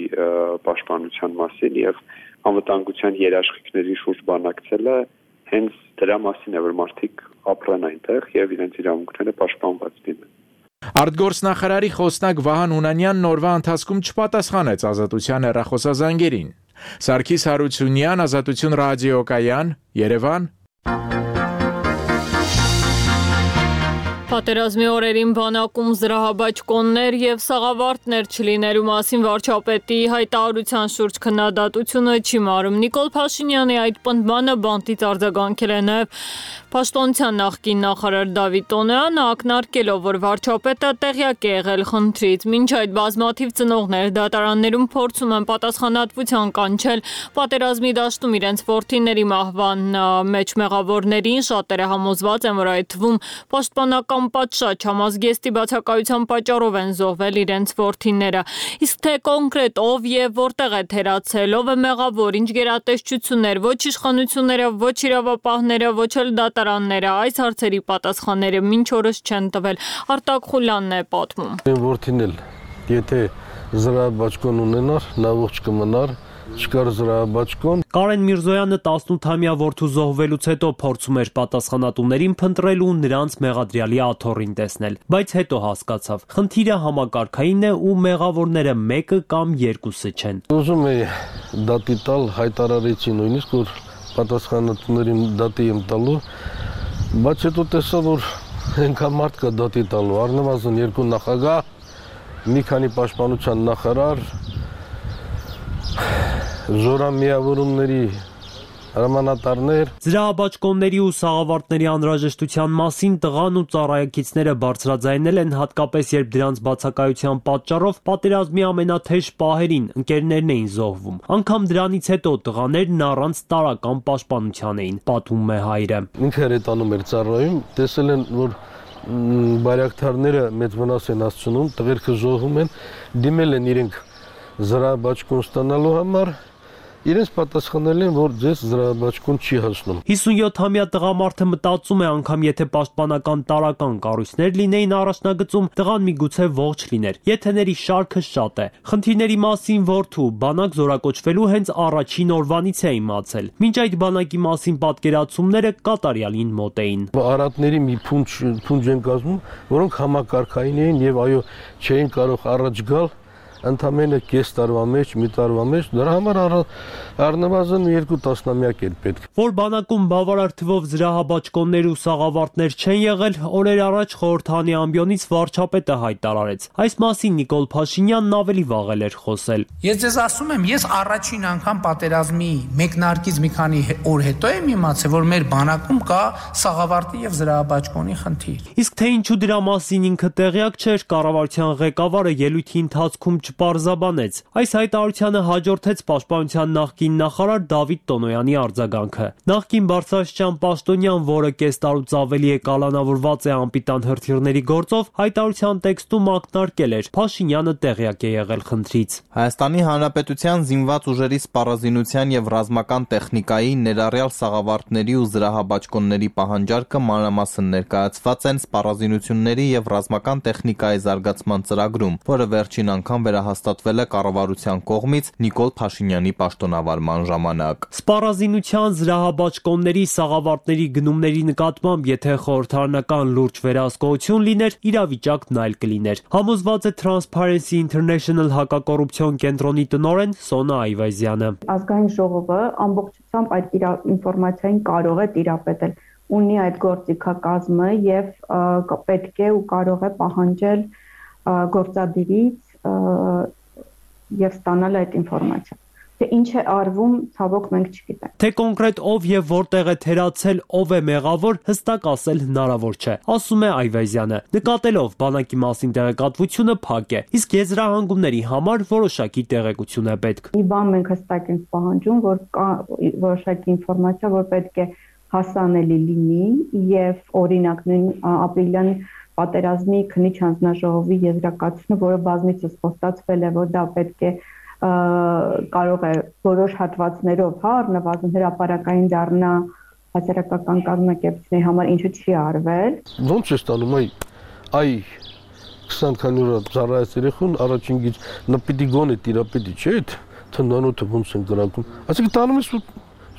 պաշտպանության մասին եւ անվտանգության երաշխիքների շուրջ բանակցելը հենց դրա մասին է, որ մարդիկ ապրեն այնտեղ եւ իրենց իրավունքները պաշտպանված լինեն։ Արտգործնախարարի խոսնակ Վահան Հունանյանն օրվա ընթացքում չպատասխանեց Ազատության հեռախոսազանգերին։ Սարգիս Հարությունյան, Ազատություն ռադիոկայան, Երևան։ Պատերազմի օրերին բանակում զրահաբաճկոններ եւ սաղավարտներ չլինելու մասին վարչապետի հայտարարության շուրջ քննադատությունը չի մարում։ Նիկոլ Փաշինյանի այդ պնդմանը բանտից արձագանքել է նաեւ Պաշտոնության նախկին նախարար Դավիթ Տոնոյանը, ակնարկելով, որ վարչապետը տեղյակ է եղել խնդրից։ Մինչ այդ բազմաթիվ ծնողներ դատարաններում փորձում են պատասխանատվության կանչել պատերազմի դաշտում իրենց որդիների մահվան մեջ մեղավորներին, շատերը համոզված են, որ այդ թվում պաշտպանական պատշաճ համազգեստի բացակայության պատճառով են զոհվել իրենց որդիները։ Իսկ թե կոնկրետ ով եւ որտեղ է թերացել, ով է մեղավոր, ինչ գերատեսչություններ, ոչ իշխանությունները, ոչ իրավապահները, ոչ էլ դատարանները, այս հարցերի պատասխանները մինչ օրս չեն տվել։ Արտակ Խուլյանն է պատմում։ Որդին էլ եթե զրահաբաճկոն ունենար, նա ողջ կմնար, չկար զրահաբաճկոն։ Կարեն Միրզոյանը տասնութամյա որդու զոհվելուց հետո փորձում էր պատասխանատուներին փնտրել ու նրանց մեղադրյալի աթոռին տեսնել, բայց հետո հասկացավ, խնդիրը համակարգային է ու մեղավորները մեկը կամ երկուսը չեն։ Ուզում էի դատի տալ, հայտարարեցի նույնիսկ, որ պատասխանատուներին դատի եմ տալու, բայց հետո տեսա, որ այնքան մարդ կա դատի տալու, առնվազն երկու նախագահ, մի քանի պաշտպանության նախարար, զորամիավորումների հրամանատարներ։ Զրահաբաճկոնների ու սաղավարտների անհրաժեշտության մասին տղան ու ծառայակիցները բարձրաձայնել են հատկապես երբ դրանց բացակայության պատճառով պատերազմի ամենաթեժ պահերին ընկերներն էին զոհվում։ Անգամ դրանից հետո տղաներն առանց տարրական պաշտպանության էին, պատմում է հայրը։ Ինքը հրետանում էր ծառայում, տեսել են, որ բարյակթարները մեծ վնաս են հասցնում, տղերքը զոհվում են, դիմել են իրենք զրահաբաճկոն ստանալու համար, իրենց պատասխանել են, որ ձեզ զրահաբաճկոն չի հասնում։ հիսունյոթամյա տղամարդը մտածում է, անգամ եթե պաշտպանական տարրական կառույցներ լինեին առաջնագծում, տղան միգուցե ողջ լիներ։ Եթեների շարքը շատ է։ Խնդիրների մասին որդու բանակ զորակոչվելու հենց առաջին օրվանից է իմացել։ Մինչ այդ բանակի մասին պատկերացումները կատարյալին մոտ էին։ Արատների մի փունջ փունջ են կազմում, որոնք համակարգային էին եւ այո, չէին կարող առաջ գալ ընդամենը կես տարվա մեջ, մի տարվա մեջ, դրա համար առնվազն երկու տասնամյակ էր պետք։ Որ բանակում բավարար թվով զրահաբաճկոններ ու սաղավարտներ չեն եղել, օրեր առաջ խորհրդանի ամբիոնից վարչապետը հայտարարեց։ Այս մասին Նիկոլ Փաշինյանն ավելի վաղ էր խոսել։ Ես ձեզ ասում եմ, ես առաջին անգամ պատերազմի մեկնարկից մի քանի օր հետո եմ իմացել, որ մեր բանակում կա սաղավարտի եւ զրահաբաճկոնի խնդիր։ Իսկ թե ինչու դրա մասին ինքը տեղյակ չէր, կառավարության ղեկավարը ելույթի ընթացքում չպարզաբանեց։ Այս հայտարարությանը հաջորդեց պաշտպանության նախկին նախարար Դավիթ Տոնոյանի արձագանքը։ Նախկին բարձրաստիճան պաշտոնյան, որը կես տարուց ավելի է կալանավորված է անպիտան հրթիռների գործով, հայտարարության տեքստում ակնարկել էր. Փաշինյանը տեղյակ է եղել խնդրից։ Հայաստանի Հանրապետության զինված ուժերի սպառազինության եւ ռազմական տեխնիկայի, ներառյալ սաղավարտների ու զրահաբաճկոնների պահանջարկը մանրամասն ներկայացված են սպառազինությունների եւ ռազմական տեխնիկայի զարգացման ծրագրում, որը վերջին անգամ վերահաստատվել է կառավարության կողմից Նիկոլ Փաշինյանի պաշտոնավարման ժամանակ։ Սպառազինության, զրահաբաճկոնների, սաղավարտների գնումների նկատմամբ, եթե խորհրդարանական լուրջ վերահսկողություն լիներ, իրավիճակն այլ կլիներ։ Համոզված է Transparency International հակակոռուպցիոն կենտրոնի տնօրեն Սոնա Այվազյանը։ Ազգային ժողովը ամբողջությամբ այդ ինֆորմացիային կարող է տիրապետել, ունի այդ գործիքակազմը եւ պետք է ու կարող է պահանջել գործադիրից եւ ստանալ այդ ինֆորմացիան։ Թե ինչ է արվում, ցավոք մենք չգիտենք։ Թե կոնկրետ ով եւ որտեղ է թերացել, ով է մեղավոր, հստակ ասել հնարավոր չէ, ասում է Այվազյանը։ Նկատելով բանակի մասին տեղեկատվությունը փակ է, իսկ եզրահանգումների համար որոշակի տեղեկություն է պետք։ Մի բան մենք հստակ ենք պահանջում, որ կա որոշակի ինֆորմացիա, որ պետք է հասանելի լինի եւ օրինակ նույն ապրիլյան պատերազմի քննիչ հանձնաժողովի եզրակացությունը, որը բազմիցս խոստացվել է, որ դա պետք է կարող է որոշ հատվածներով, հա, առնվազն հրապարակային դառնա հասարակական կազմակերպությունների համար, ինչու չի արվել։ Ոնց է ստանում այ այ քսան քանի օր ծառայած երեխուն առաջին գիծ նպիտի գոնե տիրապետի չէ, թնդանոթը ոնց են գրակում։ Այսինքն տանում ես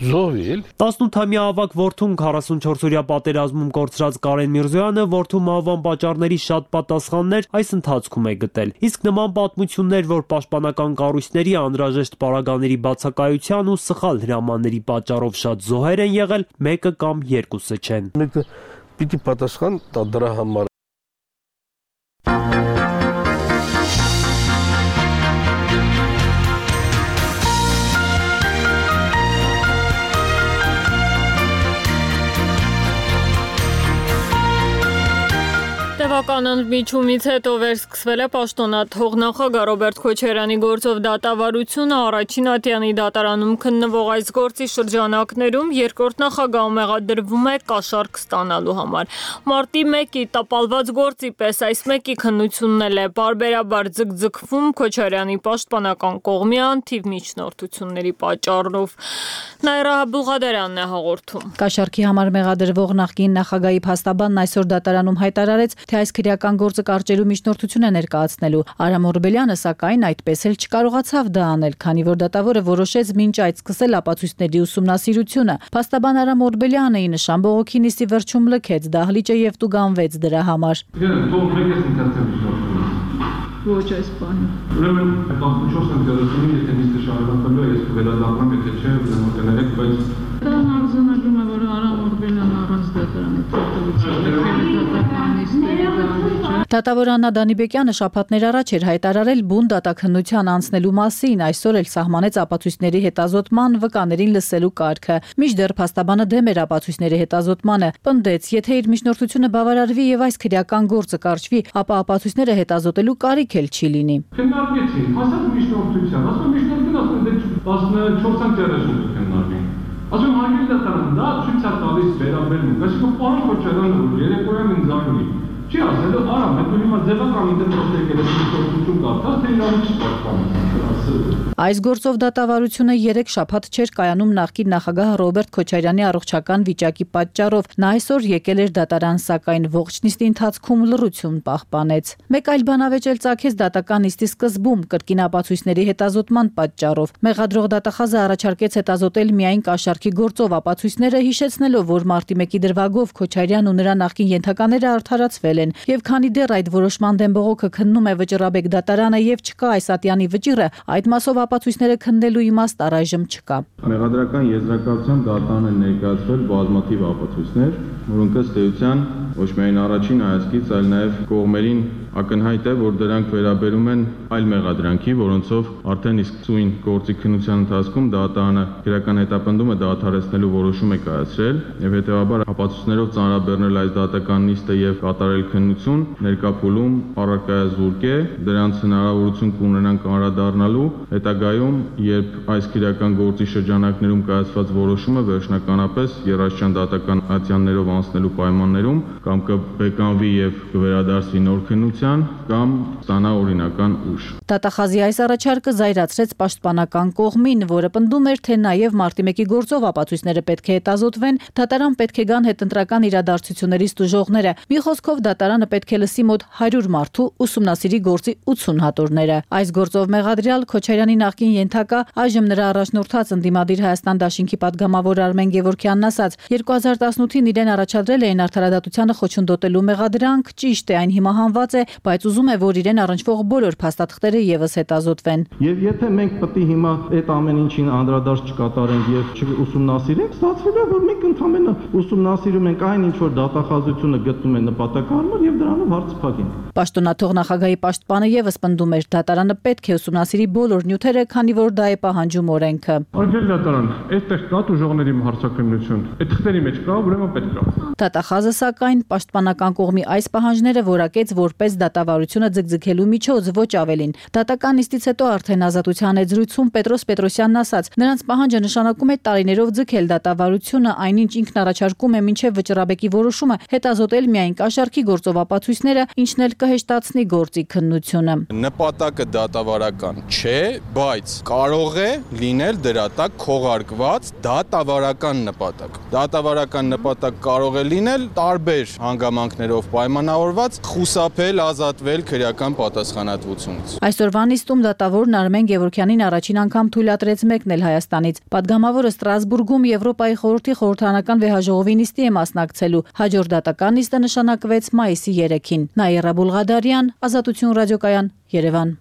զոհվել։ տասնութամյա ավագ որդուն քառասունչորսօրյա պատերազմում կորցրած Կարեն Միրզոյանը որդու մահվան պատճառների շատ պատասխաններ այս ընթացքում է գտել։ Իսկ նման պատմություններ, որ պաշտպանական կառույցների անհրաժեշտ պարագաների բացակայության ու սխալ հրամանների պատճառով շատ զոհեր են եղել, մեկը կամ երկուսը չեն։ Մեկը պիտի պատասխան տա դրա համար։ Տևական ընդմիջումից հետո վերսկսվել է պաշտոնաթող նախագահ Ռոբերտ Քոչարյանի գործով դատավարությունը առաջին ատյանի դատարանում քննվող այս գործի շրջանակներում երկրորդ նախագահը մեղադրվում է կաշառք ստանալու համար։ Մարտի մեկի տապալված գործի պես այս մեկի քննությունն էլ է բարբերաբար ձգձգվում Քոչարյանի պաշտպանական կողմի անթիվ միջնորդությունների պատճառով։ Նաիրա Բուղադարյանն է հաղորդում։ Կաշառքի համար մեղադրվող նախկին նախագահի փաստաբանն այսօր դատարանում հայտարարեց, թե այս քրեական քրեական գործը կարճելու միջնորդություն է ներկայացնելու։ Արամ Օրբելյանը սակայն այդպես էլ չկարողացավ դա անել, քանի որ դատավորը որոշեց մինչ այդ սկսել ապացույցների ուսումնասիրությունը։ Փաստաբան Արամ Օրբելյանը ի նշան բողոքի նիստի վերջում լքեց դահլիճը եւ տուգանվեց դրա համար։ Ոչ այս բանը։ Ուրեմն տասնչորս ընկերությունի եթե նիստը շարունակելու է, ես կվերադառնամ, եթե չէ, ուրեմն կներեք, բայց դա արձանագրում է, որ Արամ Օրբելյանը առանց դատարանի Դատավոր Աննա Դանիբեկյանը շաբաթներ առաջ էր հայտարարել բուն դատաքննության անցնելու մասին, այսօր էլ սահմանեց ապացույցների հետազոտման, վկաներին լսելու կարգը։ Մինչդեռ փաստաբանը դեմ էր ապացույցների հետազոտմանը, պնդեց, եթե իր միջնորդությունը բավարարվի եւ այս քրեական գործը կարճվի, ապա ապացույցները հետազոտելու կարիք էլ չի լինի։ Քննարկեցին, հասած միջնորդության, ասում միջնորդին ասում դե տասնչորս տերաշուն քննարկին։ Ասում հարգել դատարան, դա ցույց է տալիս վերաբերմունք, այսինքն պարոն Քոչարյանը երեկոյան ինձ անգլի չի ասելու, արամ, հետո հիմա ձևական ինտերնետ եկել է միջնորդություն կարդաց, թե իրավունք չի պաշտպանում։ Այս գործով դատավարությունը երեք շաբաթ չէր կայանում նախկին նախագահ Ռոբերտ Քոչարյանի առողջական վիճակի պատճառով։ Նա այսօր եկել էր դատարան, սակայն ողջ նիստի ընթացքում լռություն պահպանեց։ Մեկ այլ բանավեճ էլ ծագեց դատական նիստի սկզբում կրկին ապացույցների հետազոտման պատճառով։ Մեղադրող դատախազը առաջարկեց հետազոտել միայն կաշառքի գործով ապացույցները, հիշեցնելով, որ մարտի մեկի դրվագով Քոչարյանն ու նրա նախկին ենթակաները արդարացվել են, եւ քանի դեռ այդ որոշման դեմ բողոքը քննում է Վճռաբեկ դատարանը եւ չկա այս ատյանի վճիռը, այդ մասով ապացույցները քննելու իմաստ առայժմ չկա։ Մեղադրական եզրակացության դատարանը ներկայացրել բազմաթիվ ապացույցներ, որոնք ըստ էության ոչ միայն առաջին հայացքից, այլ նաև կողմերին ակնհայտ է, որ դրանք վերաբերում են այլ մեղադրանքի, որոնցով արդեն իսկ սույն գործի քննության ընթացքում դատարանը քրեական հետապնդումը դադարեցնելու որոշում է կայացրել եւ հետեւաբար ապացույցներով ծանրաբեռնել այս դատական նիստը եւ կատարել քննություն ներկա փուլում առարկայազուրկ է, դրանց հնարավորություն կունենան կանրադառնալու հետագայում, երբ այս քրեական գործի շրջանակներում կայացված որոշումը վերջնականապես եռաշրջան դատական ատյաններով անցնելու պայմաններում կամ կբեկանվի եւ կվերադարձվի նոր քննություն կամ ստանա օրինական ուժ։ Դատախազի այս առաջարկը զայրացրեց պաշտպանական կողմին, որը պնդում էր, թե նաև մարտի մեկի գործով ապացույցները պետք է հետազոտվեն, դատարան պետք է գան հետընտրական իրադարձություններից տուժողները։ Մի խոսքով դատարանը պետք է լսի մոտ հարյուր մարդու ուսումնասիրի գործի ութսուն հատորները։ Այս գործով մեղադրյալ Քոչարյանի նախկին ենթակա, այժմ նրա առաջնորդած ընդդիմադիր Հայաստան դաշինքի պատգամավոր Արմեն Գևորգյանն ասաց, երկու հազար տասնութին իրեն առաջադրել էին արդարադատությանը խոչընդոտելու մեղադրանք, ճիշտ է, այն հիմա հանված է, բայց ուզում է, որ իրեն առնչվող բոլոր փաստաթղթերը եւս հետազոտվեն։ Եվ եթե մենք պետք է հիմա այդ ամեն ինչին անդրադարձ չկատարենք եւ չուսումնասիրենք, ստացվում է, որ մենք ընդհանրապես ուսումնասիրում ենք այն ինչ որ դատախազությունը գտնում է նպատակարար եւ դրանով հարց փակենք։ Պաշտոնաթող նախագահի պաշտպանը եւս պնդում էր, դատարանը պետք է ուսումնասիրի բոլոր նյութերը, քանի որ դա է պահանջում օրենքը։ Արգել դատարան, այդտեղ կա ուժողների հարցակնություն։ Այդ թղթերի մեջ կա, ուրեմն պետք է։ Դատախազը սակայն պաշտպանական կողմի այս պահանջները որակեց որպես դատավարությունը ձգձգելու միջոց, ոչ ավելին։ Դատական նիստից հետո արդեն Ազատության հետ զրույցում Պետրոս Պետրոսյանն ասաց, նրանց պահանջը նշանակում է տարիներով ձգել դատավարությունը, այնինչ ինքն առաջարկում է մինչև Վճռաբեկի որոշումը հետազոտել միայն կաշառքի գործով ապացույցները, ինչն էլ կհեշտացնի գործի քննությունը։ Նպատակը դատավարական չէ, բայց կարող է լինել դրա տակ քողարկված դատավարական նպատակ։ Դատավարական նպատակ կարող է լինել տարբեր հանգամանքներով պայմանավորված խուսափել, ազատվել քրեական պատասխանատվությունից։ Այսօրվա նիստում դատավորն Արմեն Գևորգյանին առաջին անգամ թույլատրեց մեկնել Հայաստանից։ Պատգամավորը Ստրասբուրգում Եվրոպայի խորհրդի խորհրդարանական վեհաժողովի նիստի է մասնակցելու։ Հաջորդ դատական նիստը նշանակվեց մայիսի երեքին։ Նաիրա Բուլղադարյան, Ազատություն ռադիոկայան, Երևան։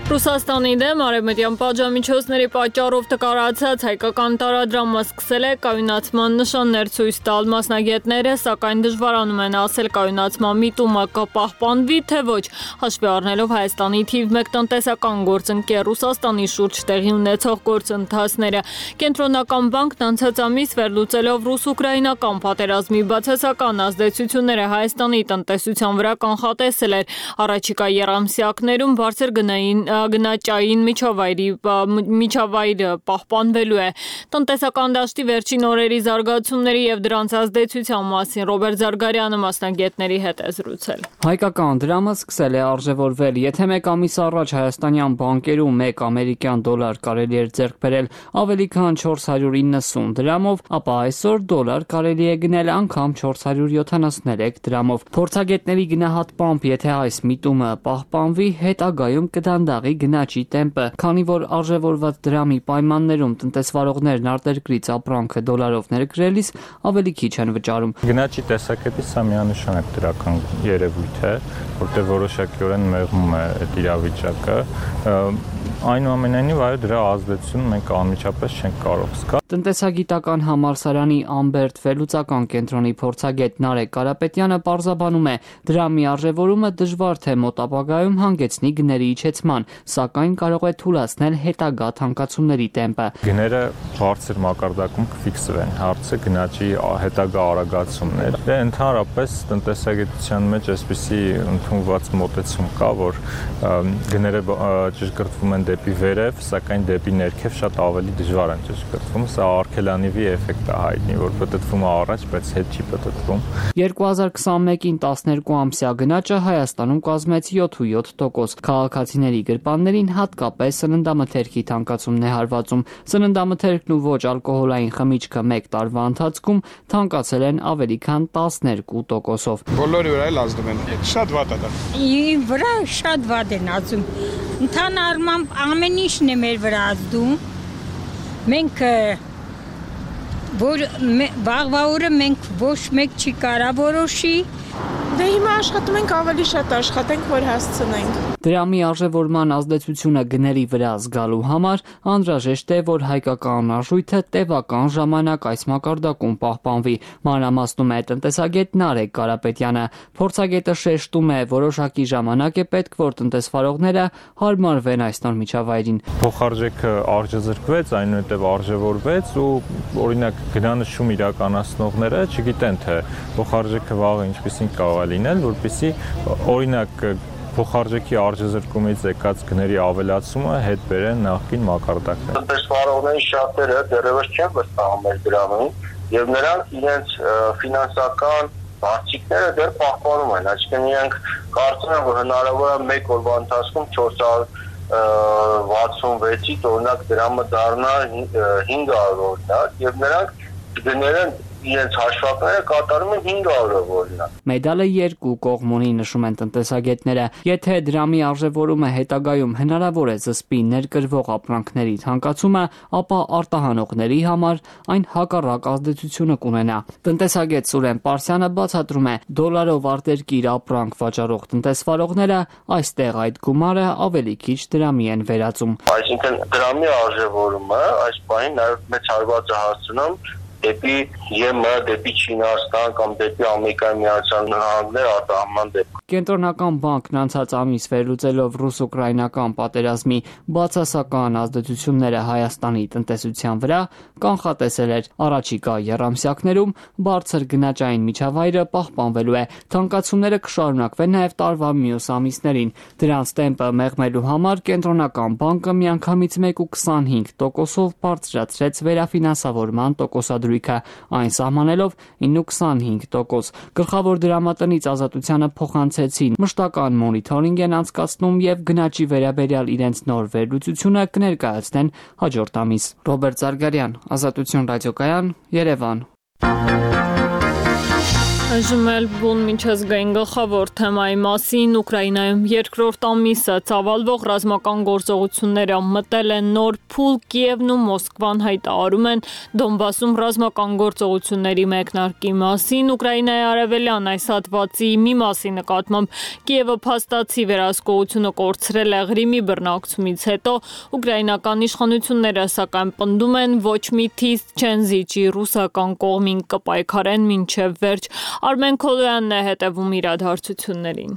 Ռուսաստանի դեմ արևմտյան պատժամիջոցների պատճառով տկարացած հայկական տարադրամը սկսել է կայունացման նշաններ ցույց տալ։ Մասնագետները սակայն դժվարանում են ասել կայունացման միտումը կպահպանվի, թե ոչ, հաշվի առնելով Հայաստանի թիվ մեկ տնտեսական գործընկեր Ռուսաստանի շուրջ տեղի ունեցող գործընթացները։ Կենտրոնական բանկն անցած ամիս վերլուծելով ռուս-ուկրաինական պատերազմի բացասական ազդեցությունները Հայաստանի տնտեսության վրա կանխատեսել էր առաջիկա եռամսյակներում բարձր գնային գնագնաճային միջավայրի միջավայրը պահպանվելու է։ Տնտեսական դաշտի վերջին օրերի զարգացումների եւ դրանց ազդեցության մասին Ռոբերտ Զարգարյանը մասնագետների հետ է զրուցել։ Հայկական դրամը սկսել է արժևորվել, եթե մեկ ամիս առաջ հայաստանյան բանկերում մեկ ամերիկյան դոլար կարելի էր ձեռք բերել ավելի քան չորս հարյուր իննսուն դրամով, ապա այսօր դոլար կարելի է գնել անգամ չորս հարյուր յոթանասուներեք դրամով։ Փորձագետների գնահատմամբ, եթե այս միտումը պահպանվի, հետագայում կդանդաղի գնաճի տեմպը, քանի որ արժևորված դրամի պայմաններում տնտեսվարողներն արտերկրից ապրանքը դոլարով ներկրելիս ավելի քիչ են վճարում։ Գնաճի տեսակետից սա միանշանակ դրական երևույթ է, որտեղ որոշակիորեն մեղմում է այդ իրավիճակը։ Այնուամենայնիվ, այո, դրա ազդեցությունը մենք անմիջապես չենք կարող զգալ։ Տնտեսագիտական համալսարանի Ամբերտ վերլուծական կենտրոնի փորձագետ Նարեկ Կարապետյանը պարզաբանում է, դրամի արժևորումը դժվար թե մոտ ապագայում հանգեցնի գների իջեցման, սակայն կարող է թուլացնել հետագա թանկացումների տեմպը։ Գները բարձր մակարդակում կֆիքսվեն, հարցը գնաճի հետագա արագացումն է։ Դե ընդհանրապես տնտեսագիտության մեջ այսպիսի ընդունված մոտեցում կա, որ գները ճշգրտվում են դեպի վերև, սակայն դեպի ներքև շատ ավելի դժվար են ճշգրտվում։ Սա արգելանիվի էֆեկտ է հայտնի, որ պտտվում է առաջ, բայց հետ չի պտտվում։ երկու հազար քսաներկին տասներկու ամսյա գնաճը Հայաստանում կազմեց յոթ տոկոս։ Քաղաքացիների գրպաններին հատկապես սննդամթերքի թանկացումն է հարվածում։ Սննդամթերքն ու ոչ ալկոհոլային խմիչքը մեկ տարվա ընթացքում թանկացել են ավելի քան տասներկու տոկոսով։ Բոլորի վրա էլ ազդում են։ Շատ վատ է դա։ Իմ վրա շատ վատ են ազդում։ Ընդհանրապես ամեն ինչն է մեր վրա ազդում։ Մենք որ վաղվա օրը մենք ոչ մեկ չի կարա որոշի։ Դե հիմա աշխատում ենք ավելի շատ աշխատենք, որ հասցնենք։ Դրամի արժևորման ազդեցությունը գների վրա զգալու համար անհրաժեշտ է, որ հայկական արժույթը տևական ժամանակ այս մակարդակում պահպանվի, մանրամասնում է տնտեսագետ Նարեկ Կարապետյանը։ Փորձագետը շեշտում է, որոշակի ժամանակ է պետք, որ տնտեսվարողները հարմարվեն այս նոր միջավայրին։ Փոխարժեքը արժեզրկվեց, այնուհետև արժևորվեց ու օրինակ գնանշում իրականացնողները չգիտեն, թե փոխարժեքը վաղը ինչպեսին կարող է լինել, որպեսզի օրինակ փոխարժեքի արժեզրկումից եկած գների ավելացումը հետ բերեն նախկին մակարդակներ։ Տնտեսվարողների շատերը դեռևս չեն վստահում մեր դրամին, եւ նրանք իրենց ֆինանսական բարձիկները դեռ պահպանում են, այսինքն իրենք կարծում են, որ հնարավոր է մեկ օրվա ընթացքում չորս հարյուր վաթսունվեցից օրինակ դրամը դառնա հինգ հարյուր օրինակ, եւ նրանք գներեն իրենց հաշվարկները կատարում են հինգ հարյուր օրինակ։ Մեդալը երկու կողմ ունի, նշում են տնտեսագետները։ Եթե դրամի արժևորումը հետագայում հնարավոր է զսպի ներկրվող ապրանքների թանկացումը, ապա արտահանողների համար այն հակառակ ազդեցությունը կունենա։ Տնտեսագետ Սուրեն Պարսյանը բացատրում է, դոլարով արտերկիր ապրանք վաճառող տնտեսվարողները այստեղ այդ գումարը ավելի քիչ դրամի են վերածում։ Այսինքն դրամի արժևորումը այս պահին նաև մեծ հարված է հասցնում դեպի ԵՄ, դեպի Չինաստան կամ դեպի Ամերիկայի Միացյալ Նահանգներ արտահանման դեպքում։ Կենտրոնական բանկն անցած ամիս վերլուծելով ռուս-ուկրաինական պատերազմի բացասական ազդեցությունները Հայաստանի տնտեսության վրա, կանխատեսել էր առաջիկա եռամսյակներում բարձր գնաճային միջավայրը պահպանվելու է։ Թանկացումները կշարունակվեն նաև տարվա մյուս ամիսներին։ Դրանց տեմպը մեղմելու համար կենտրոնական բանկը միանգամից մեկ կoma քսանհինգ տոկոսով բարձրացրեց վերաֆինանսավորման տոկոսադրույքը, այն սահմանելով ինը կoma քսանհինգ տոկոս։ Գլխավոր դրամատնից Ազատությանը փոխանցեցին մշտական մոնիթորինգ են անցկացնում եւ գնաճի վերաբերյալ իրենց նոր վերլուծությունը կներկայացնեն հաջորդ ամիս։ Ռոբերտ Զարգարյան, Ազատություն ռադիոկայան, Երևան։ Այժմ էլ բուն միջազգային գլխավոր թեմայի մասին Ուկրաինայում երկրորդ ամիսը ծավալվող ռազմական գործողությունները մտել են նոր փուլ, Կիևն ու Մոսկվան հայտարարում են Դոնբասում ռազմական գործողությունների մեկնարկի մասին։ Ուկրաինայի արևելյան այս հատվածի մի մասի նկատմամբ Կիևը փաստացի վերահսկողությունը կորցրել է Ղրիմի բռնակցումից հետո, ուկրաինական իշխանությունները սակայն պնդում են ոչ մի թիստ չեն զիջի ռուսական կողմին կպայքարեն մինչև վերջ։ Արմեն Քոլոյանն է հետևում իրադարձություններին։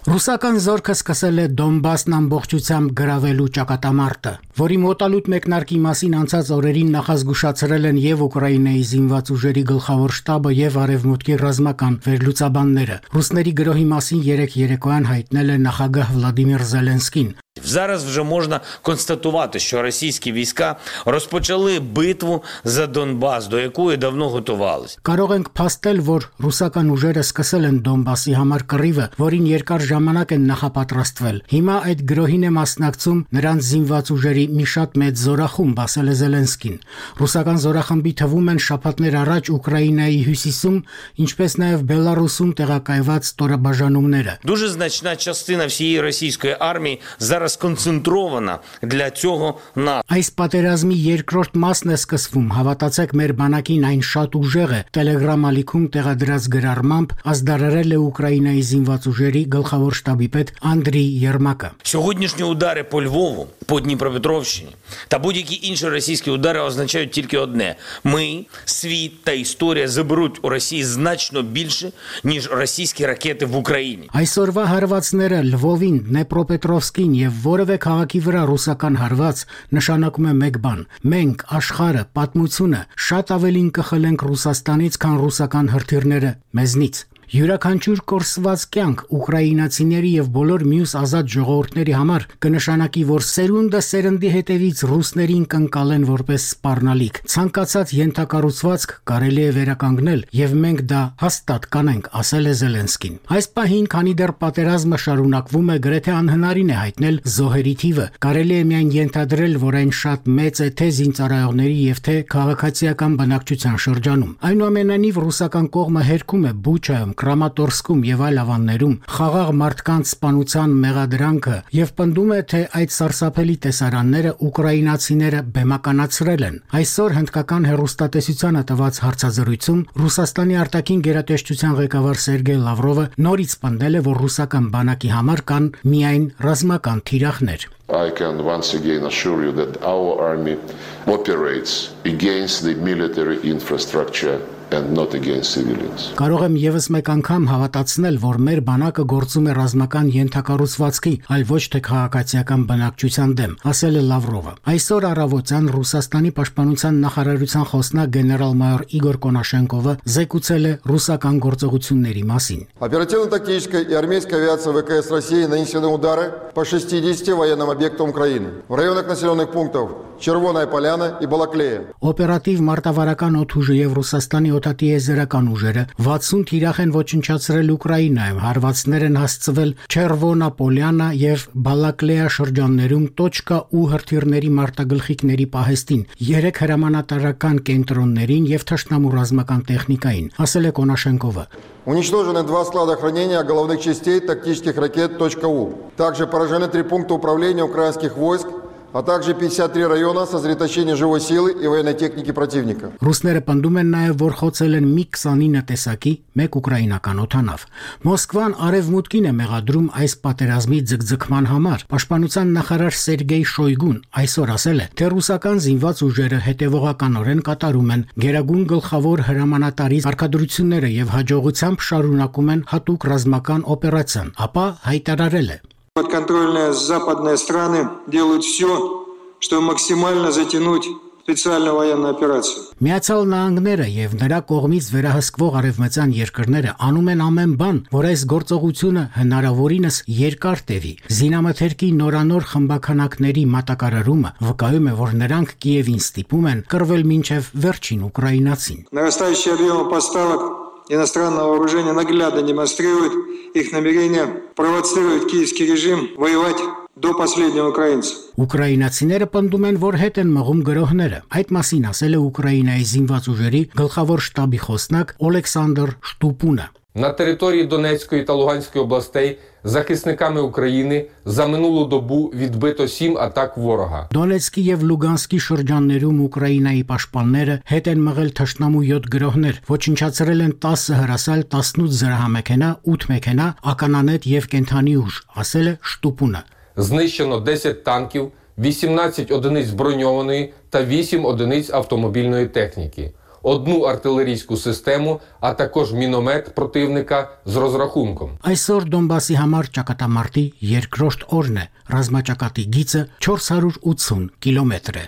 Ռուսական զորքը սկսել է Դոնբասն ամբողջությամբ գրավելու ճակատամարտը, որի մոտալուտ մեկնարկի մասին անցած օրերին նախազգուշացրել են եւ Ուկրաինայի զինված ուժերի գլխավոր շտաբը եւ Արևմուտքի ռազմական վերլուծաբանները։ Ռուսների գրոհի մասին երեք երեկոյան հայտնել է նախագահ Վլադիմիր Զելենսկին։ Зараз вже можна констатувати, що російські війська розпочали битву за Донбас, до якої давно готувалися. Կարող ենք փաստել, որ ռուսական ուժերը սկսել են Դոնբասի համար կռիվը, որին երկար ժամանակ են նախապատրաստվել։ Հիմա այդ գրոհին է մասնակցում նրանց զինված ուժերի մի շատ մեծ զորախումբ, ասել է Զելենսկին։ Ռուսական զորախմբի թվում են շաբաթներ առաջ Ուկրաինայի հյուսիսում, ինչպես նաև Բելարուսում տեղակայված ստորաբաժանումները։ Дуже значна частина всієї російської армії зараз концентрована для цього НАТО. Այս պատերազմի երկրորդ մասն է սկսվում, հավատացեք մեր բանակին այն շատ ուժեղ է, Telegram ալիքում տեղադրած գրառմամբ ազդարարել է Ուկրաինայի զինված ուժերի գլխավոր շտաբի պետ Անդրій Єрмака. Сьогоднішні удари по Львову, по Дніпропетровщині та будь-які інші російські удари означають тільки одне. Ми, світ та історія заберуть у Росії значно більше, ніж російські ракети в Україні. Այսօրվա հարվածները Լվովին, Դնեպրոպետրովսկին եւ որևէ քաղաքի վրա ռուսական հարված նշանակում է մեկ բան. մենք աշխարհը, պատմությունը շատ ավելին կխլենք Ռուսաստանից, քան ռուսական հրթիռները մեզնից։ Յուրաքանչյուր կորսված կյանք ուկրաինացիների եւ բոլոր մյուս ազատ ժողովուրդների համար կնշանակի, որ սերունդը սերնդի հետևից ռուսներին կընկալեն որպես սպառնալիք։ Ցանկացած ենթակառուցվածք կարելի է վերականգնել եւ մենք դա հաստատ կանենք, ասել է Զելենսկին։ Այս պահին, քանի դեռ պատերազմը շարունակվում է, գրեթե անհնարին է հայտնել զոհերի թիվը։ Կարելի է միայն ենթադրել, որ այն շատ մեծ է թե զինծառայողների եւ թե քաղաքացիական բնակչության շրջանում։ Այնուամենայնիվ ռուսական կողմը հերքում է Բուչայում, Կրամատորսկում եւ այլ ավաններում խաղաղ մարդկանց սպանության մեղադրանքը եւ պնդում է, թե այդ սարսափելի տեսարանները ուկրաինացիները բեմականացրել են։ Այսօր հնդկական հեռուստատեսությանը տված հարցազրույցում Ռուսաստանի արտաքին գերատեսչության ղեկավար Սերգեյ Լավրովը նորից պնդել է, որ ռուսական բանակի համար կան միայն ռազմական թիրախներ։ I can once again assure you that our army operates against the military infrastructure and not against civilians. Կարող եմ եւս մեկ անգամ հավատացնել, որ մեր բանակը գործում է ռազմական ենթակառուցվածքի, այլ ոչ թե քաղաքացիական բնակչության դեմ, ասել է Լավրովը։ Այսօր առավոտյան Ռուսաստանի պաշտպանության նախարարության խոսնակ գեներալ-մայոր Իգոր Կոնաշենկովը զեկուցել է ռուսական գործողությունների մասին։ Оперативно-тактическая и армейская авиация ВКС России нанесены удары по шестидесяти военным объектам Украины в районах населенных пунктов Червоная Поляна и Балаклея. Օպերատիվ մարտավարական օդուժը եւ Ռուսաստանի օդատիեզերական ուժերը վաթսուն թիրախ են ոչնչացրել Ուկրաինայում, հարվածներ են հասցվել Չերվոնա Պոլյանա եւ Բալակլեա շրջաններում տոչկա ու հրթիռների մարտագլխիկների պահեստին, երեք հրամանատարական կենտրոններին եւ թշնամու ռազմական տեխնիկային, ասել է Կոնաշենկովը։ Уничтожены два склада хранения головных частей тактических ракет .У. Также поражены три пункта управления украинских войск, а также пятьдесят три района сосредоточения живой силы и военной техники противника. Ռուսները պնդում են նաև, որ խոցել են մի քսանինը տեսակի մեկ ուկրաինական օդանավ։ Մոսկվան արևմուտքին է մեղադրում այս պատերազմի ձգձգման համար։ Պաշտպանության նախարար Սերգեյ Շոյգուն այսօր ասել է, թե ռուսական զինված ուժերը հետևողականորեն կատարում են Գերագույն գլխավոր հրամանատարի արկադրությունները եւ հաջողությամբ շարունակում են հատուկ ռազմական օպերացիան, ապա հայտարարել է. Подконтрольные западные страны делают все, чтобы максимально затянуть специальную военную операцию. Միացյալ Նահանգները եւ նրա կողմից վերահսկվող արևմտյան երկրները անում են ամեն բան, որ այս գործողությունը հնարավորինս երկար տևի։ Զինամթերքի նորանոր խմբականակների մատակարարումը վկայում է, որ նրանք Կիևին ստիպում են կռվել մինչև վերջին ուկրաինացին։ Нарастающие объемы поставок иностранного вооружения наглядно демонстрируют их намерение провоцировать киевский режим воевать до последнего украинца. Ուկրաինացիները պնդում են, որ հետ են մղում գրոհները։ Այդ մասին ասել է Ուկրաինայի զինված ուժերի գլխավոր շտաբի խոսնակ Օլեքսանդր Շտուպունը։ На території Донецької та Луганської областей захисниками України за минулу добу відбито сім атак ворога. Դոնեցկի եւ Լուգանսկի շրջաններում Ուկրաինայի պաշտպանները հետ են մղել թշնամու յոթ գրոհներ, ոչնչացրել են տասը հրասալ, տասնութ զրահամեքենա, ութ մեքենա, ականանետ եւ կենթանի ուժ, ասել է Շտուպունը։ Знищено десять танків, вісімнадцять одиниць броньованої та вісім одиниць автомобільної техніки. Одну артилерійську систему, а також міномет противника з розрахунком. Այսօր Դոնբասի համար ճակատամարտի երկրորդ օրն է, ռազմաճակատի գիծը չորս հարյուր ութսուն կիլոմետր է։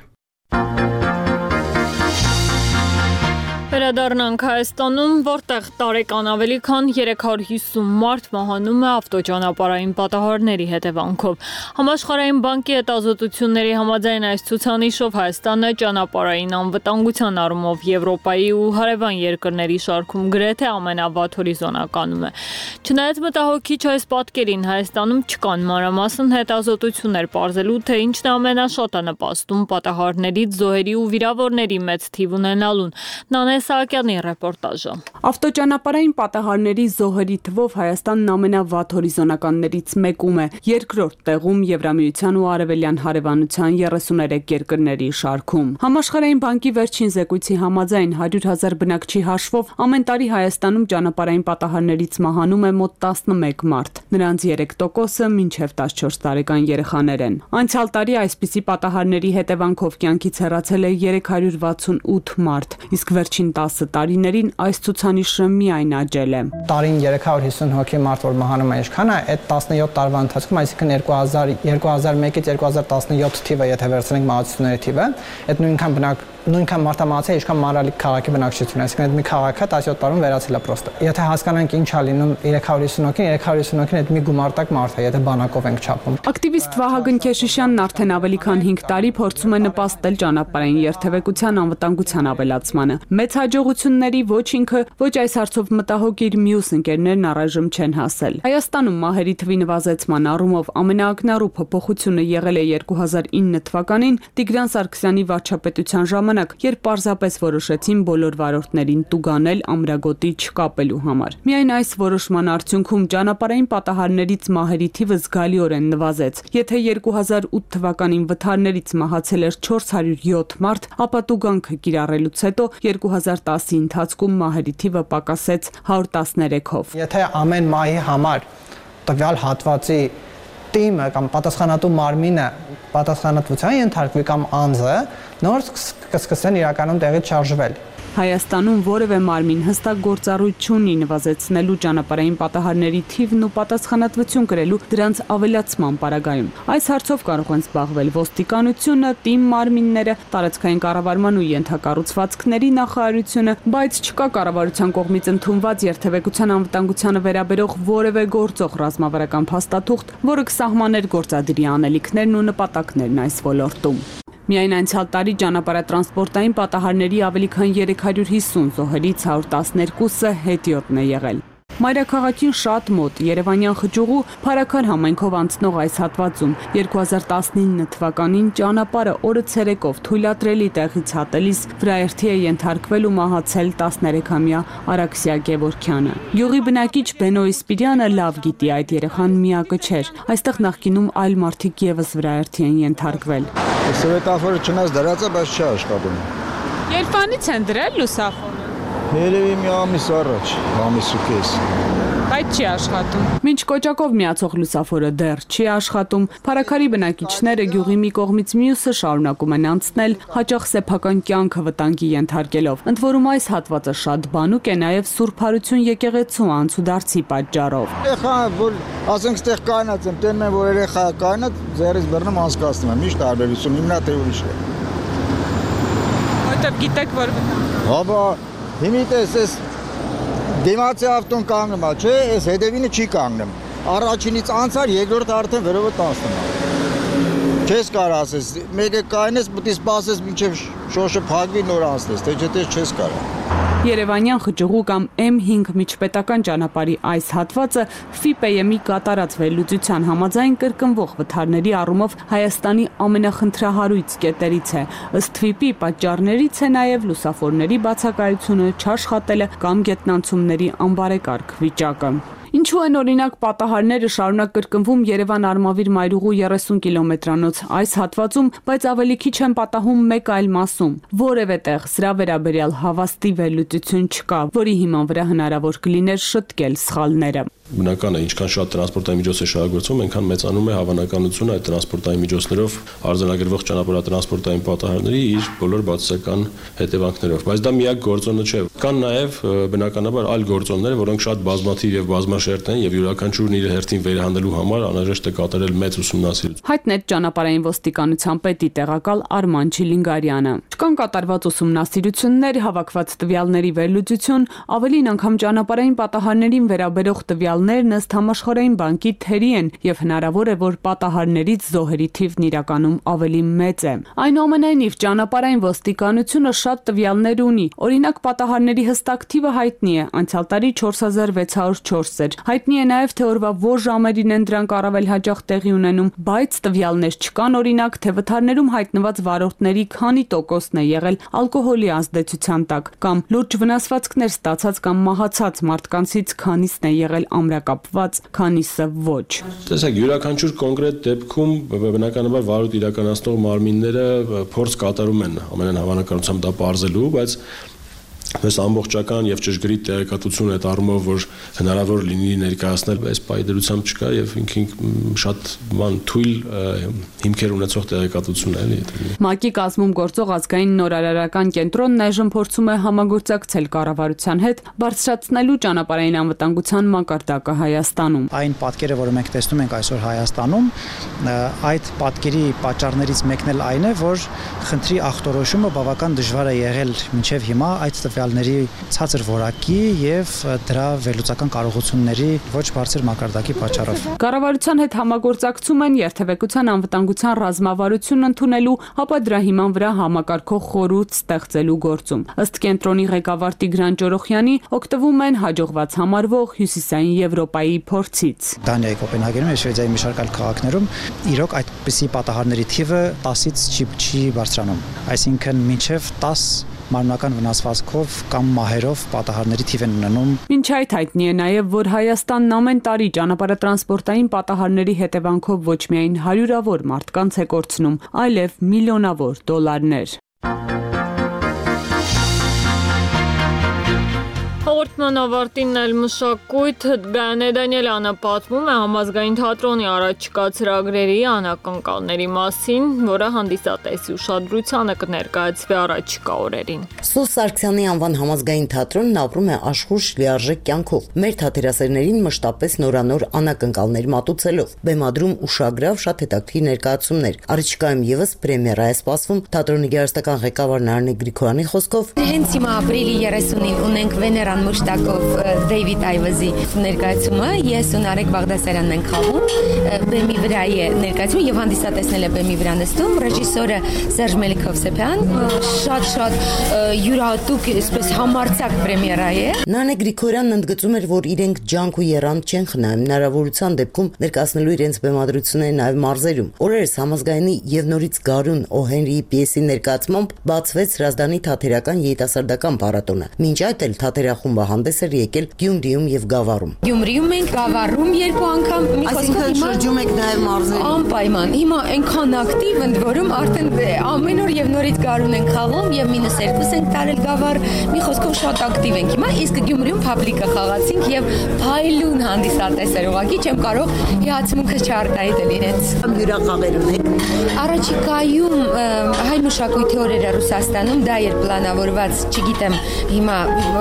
Անդրադառնանք Հայաստանում, որտեղ տարեկան ավելի քան երեք հարյուր հիսուն մարդ մահանում է ավտոճանապարհային պատահարների հետևանքով։ Համաշխարհային բանկի հետազոտությունների համաձայն այս ցուցանիշով Հայաստանը ճանապարհային անվտանգության առումով Եվրոպայի ու հարևան երկրների շարքում գրեթե ամենավատ հորիզոնականում է։ Չնայած մտահոգիչ այս պատկերին, Հայաստանում չկան մանրամասն հետազոտություններ պարզելու, թե ինչն է ամենաշատը նպաստում պատահարներից զոհերի ու վիրավորների մեծ թիվ ունենալուն։ Նանե Սահակյանի ռեպորտաժը։ Ավտոճանապարհային պատահարների զոհերի թվով Հայաստանն ամենավատ հորիզոնականներից մեկում է, երկրորդ տեղում Եվրամիության ու Արևելյան հարևանության երեսուներեք երկրների շարքում։ Համաշխարհային բանկի վերջին զեկույցի համաձայն հարյուր հազար բնակչի հաշվով ամեն տարի Հայաստանում ճանապարհային պատահարներից մահանում է մոտ տասնմեկ մարդ։ Նրանց երեք տոկոսը մինչև տասնչորս տարեկան երեխաներ են։ Անցյալ տարի այսպիսի պատահարների հետևանքով կյանքից հեռացել է երեք հարյուր վաթսունութ մարդ, իսկ վերջին տասը տարիներին այս ցուցանիշը միայն աճել է։ Տարին երեք հարյուր հիսուն հոգի մարդ որ մահանում է, ինչքան է, այդ տասնյոթ տարվա ընթացքում, այսինքն երկու հազար մեկից երկու հազար տասնյոթ թիվը, եթե վերցնենք մահացությունների թիվը, այդ նույնքան բնակ նույնքան մարդամահացի է, ինչքան Մանրալիկ քաղաքի բնակչությունը, այսինքն այդ մի քաղաքը տասնյոթ տարում վերացել է պրոստը։ Եթե հասկանանք ինչ է լինում երեք հարյուր հիսուն հոգին, երեք հարյուր հիսուն հոգին այդ մի գումարտակ մարդ է, եթե բանակով ենք չափում։ Ակտիվիստ Վահագն Քեշիշյանն արդեն ավելի քան հինգ տարի փորձում է նպաստել ճանապարհային երթևեկության անվտանգության ավելացմանը։ Մեծ հաջողությունների ոչ ինքը, ոչ այս հարցով մտահոգ իր մյուս ընկերներն առայժմ չեն հասել։ Հայաստանում մահերի թվի նվազեցման առումով ամենաակնառու փոփոխությունը եղել է երկու հազար ինը թվականին Տիգրան Սարգսյանի վարչապետության ժամանակ, երբ պարզապես որոշեցին բոլոր վարորդներին տուգանել ամրագոտի չկապելու համար։ Միայն այս որոշման արդյունքում ճանապարհային պատահարներից մահերի թիվը զգալիորեն նվազեց։ Եթե երկու հազար ութ թվականին վթարներից մահացել էր չորս հարյուր յոթ մարդ, ապա տուգանքը կիրառելուց հետո երկու հազար տասի ընթացքում մահերի թիվը պակասեց հարյուր տասներեքով։ Եթե ամեն մահի համար տվյալ հատվածի տիմը կամ պատասխանատու մարմինը պատասխանատվության ենթարկվի կամ անձը, նոր կսկսեն իրականում տեղից շարժվել։ Հայաստանում որևէ մարմին հստակ գործառույթ չունի նվազեցնելու ճանապարհային պատահարների թիվն ու պատասխանատվություն կրելու դրանց ավելացման պարագայում։ Այս հարցով կարող են զբաղվել ոստիկանությունը, տիմ մարմինները, տարածքային կառավարման ու ենթակառուցվածքների նախարարությունը, բայց չկա կառավարության կողմից ընդունված երթևեկության անվտանգությանը վերաբերող որևէ գործող ռազմավարական փաստաթուղթ, որը կսահմաներ գործադրի անելիքներն ու նպատակներն այս ոլորտում։ Միայն անցյալ տարի ճանապարհատրանսպորտային պատահարների ավելի քան երեք հարյուր հիսուն զոհերից հարյուր տասներկուսը հետիոտն է եղել։ Մայրաքաղաքին շատ մոտ Երևանյան խճուղու Փարաքար համայնքով անցնող այս հատվածում երկու հազար տասնինը թվականին ճանապարհը օրը ցերեկով թույլատրելի տեղից հատելիս վրաերթի է ենթարկվել ու մահացել տասներեքամյա Արաքսիա Գևորգյանը։ Գյուղի բնակիչ Բենո Իսպիրյանը լավ գիտի այդ երեխան միակը չէր։ Այստեղ նախկինում այլ մարդիկ եւս վրաերթի են ենթարկվել։ Սվետաֆորը չնայած դրած է, բայց չի աշխատում։ Երբանից են դրել լուսավորը։ Երևի մի ամիս առաջ, ամիս ու կես։ Բայց չի աշխատում։ Մինչ կոճակով միացող լուսավորը դեռ չի աշխատում, Փարաքարի բնակիչները գյուղի մի կողմից մյուսը շարունակում են անցնել, հաճախ սեփական կյանքը վտանգի ենթարկելով։ Ընդ որում այս հատվածը շատ բանուկ է նաև Սուրբ Հարություն եկեղեցու անցուդարձի պատճառով։ Երեխա, որ ասենք ստեղ կայնած եմ, տենում եմ, որ երեխա կայնած, ձեռից բռնում անցկացնում եմ, միշտ տարբերություն, հիմնա թե ուրիշ է։ Որտեվ գիտեք, որ Հաբա Հիմի տես, ես դիմացի ավտոն կանգնում է, չէ, ես հետևինը չի կանգնում։ Առաջինից անցար, երկրորդ արդեն վերովը տասնում է։ Չես կար ասես, մեկը կայնես, պետք է սպասես մինչև շոշը փակվի նոր անցնես, թե չէ չես կարա։ Երևանյան խճուղու կամ էմ հինգ միջպետական ճանապարհի այս հատվածը ՖԻՊԵ-ի կատարած վերլուծության համաձայն կրկնվող վթարների առումով Հայաստանի ամենախնդրահարույց կետերից է։ Ըստ ՖԻՊ-ի պատճառներից է նաև լուսավորների բացակայությունը, չաշխատելը կամ գետնանցումների անբարեկարգ վիճակը։ Ինչու են օրինակ պատահարները շարունակ կրկնվում Երևան-Արմավիր մայրուղու երեսուն կիլոմետրանոց այս հատվածում, բայց ավելի քիչ են պատահում մեկ այլ մասում։ Որևէ տեղ սրա վերաբերյալ հավաստի վերլուծություն չկա, որի հիման վրա հնարավոր կլիներ շտկել սխալները։ Բնական է, ինչքան շատ տրանսպորտային միջոց է շահագործվում, այնքան մեծանում է հավանականությունը այդ տրանսպորտային միջոցներով արձանագրվող ճանապարհատրանսպորտային պատահարների իր բոլոր բացասական հետևանքներով։ Բայց դա միակ գործոնը չէ։ Կան նաև բնականաբար այլ գործոններ, որոնք շատ բազմաթիվ եւ բազմաշերտ են եւ յուրաքանչյուրն իր հերթին վերահանդելու համար անհրաժեշտ է կատարել մեծ ուսումնասիրություն։ Հայտնեց ճանապարհային ոստիկանության պետի տեղակալ Արման Չիլինգարյանը։ Չկան կատարված ուսումնասիրություններ, հավաքված տվյալների վերլուծություն, ավելին անգամ ճանապարհային պատահարներին վերաբերող տվյալներն ըստ համաշխարհային բանկի թերի են եւ հնարավոր է, որ պատահարներից զոհերի թիվն իրականում ավելի մեծ է։ Այնուամենայնիվ ճանապարհային ոստիկանությունը շատ տվյալներ ունի։ Օրինակ պատահարների հստակ թիվը հայտնի է, անցյալ տարի չորս հազար վեց հարյուր չորս էր։ Հայտնի է նաեւ թե օրվա որ ժամերին են դրանք առավել հաճախ տեղի ունենում, բայց տվյալներ չկան, օրինակ թե վթարներում հայտնված վարորդների քանի տոկոսն է եղել ալկոհոլի ազդեցության տակ, կամ լուրջ վնասվածքներ ստացած կամ մահացած մարդկանցից քանիսն է եղել ամրակապված, քանիսը ոչ։ Տեսեք, յուրաքանչյուր կոնկրետ դեպքում բնականաբար վարույթ իրականացնող մարմինները փորձ կատարում են ամենայն հավանականությամբ դա պարզելու, բայց Պես ամբողջական եւ ճշգրիտ տեղեկատվություն այդ առումով, որ հնարավոր լինի ներկայացնել, այս պայդրությամբ չկա եւ ինքին շատ բան թույլ հիմքեր ունեցող տեղեկատվություն է, էլի։ ՄԱԿ-ի կազմում գործող ազգային նորարարական կենտրոնն այժմ փորձում է համագործակցել կառավարության հետ, բարձրացնելու ճանապարհային անվտանգության մակարդակը Հայաստանում։ Այն պատկերը, որը մենք տեսնում ենք այսօր Հայաստանում, այդ պատկերի պատճառներից մեկն էլ այն է, որ խնդրի ախտորոշումը բավական դժվար է եղել մինչև հիմա այդ տվյալների ցածր որակի եւ դրա վերլուծական կարողությունների ոչ բարձր մակարդակի պատճառով։ Կառավարության հետ համագործակցում են երթևեկության անվտանգության ռազմավարություն ընդունելու, ապա դրա հիման վրա համակարգող խորհուրդ ստեղծելու գործում։ Ըստ կենտրոնի ղեկավար Տիգրան Ճորոխյանի, օգտվում են հաջողված համարվող Հյուսիսային Եվրոպայի փորձից։ Դանիայի, Կոպենհագենում եւ Շվեդիայի մի շարք այլ քաղաքներում իրոք այդպիսի պատահարների թիվը տասից չի չի բարձրանում։ Այսինքն մինչև տաս մարմնական վնասվածքով կամ մահերով պատահարների թիվ են ունենում։ Մինչ այդ հայտնի է նաև, որ Հայաստանն ամեն տարի ճանապարհատրանսպորտային պատահարների հետևանքով ոչ միայն հարյուրավոր մարդկանց է կորցնում, այլև միլիոնավոր դոլարներ։ Հաղորդման ավարտին էլ մշակույթ Գայանե Դանիելյանը պատմում է համազգային թատրոնի առաջիկա ծրագրերի անակնկալների մասին, որը հանդիսատեսի ուշադրությանը կներկայացվի առաջիկա օրերին։ Սուս Սարգսյանի անվան համազգային թատրոնն ապրում է աշխույժ լիարժեք կյանքով։ Մեր թատերասերներին մշտապես նորանոր անակնկալներ մատուցելով, բեմադրում ուշագրավ շատ հետաքրքիր ներկայացումներ։ Առաջիկայում եւս պրեմիերա է սպասվում թատրոնի գեղարվեստական ղեկավար Նարինե Գրիգորյանի խոսքով։ Հենց հիմա ապրիլի երեսունին ունենք Վեներան Մուշտակով Դեյվիդ Այվազի ներկայացումը, ես ու Նարեկ Բաղդասարյանն ենք խաղում, բեմի վրա է ներկայացումը եւ հանդիսատեսնել է բեմի վրա նստում ռեժիսորը Սերժ Մելիքովսեփյան, շատ-շատ յուրահատուկ, այսպես համարձակ պրեմիերա է։ Նարինե Գրիգորյանն ընդգծում էր, որ իրենք ջանք ու եռանդ չեն խնայում, հնարավորության դեպքում ներկայացնելու իրենց բեմադրությունները նաեւ մարզերում։ Օրերս համազգայինի եւ նորից Գարուն Օհենրիի պիեսի ներկայացմամբ բացվեց Հրազդանի թատերական երիտասարդական փառատոնը։ Մինչ այդ էլ թատերախումբը հանդես էր եկել Գյումրիում եւ Գավառում։ Գյումրիում ենք, Գավառում երկու անգամ, մի խոսքով շրջում եք նաեւ մարզերում։ Անպայման։ Հիմա այնքան ակտիվ ընդ որում արդեն ամեն օր եւ նորից Գարուն ենք խաղում եւ մինուս երկու ենք տարել Գավառ, մի խոսքով շատ ակտիվ ենք հիմա, իսկ Գյումրիում փաբլիկը խաղացինք եւ փայլուն հանդիսատես էր, ուղղակի չեմ կարող հիացմունքը չարտահայտել իրենց։ Հյուրախաղեր ունեք։ Առաջիկայում հայ մշակույթի օրերը Ռուսաստանում դա էր պլանավորված, չգիտեմ հիմա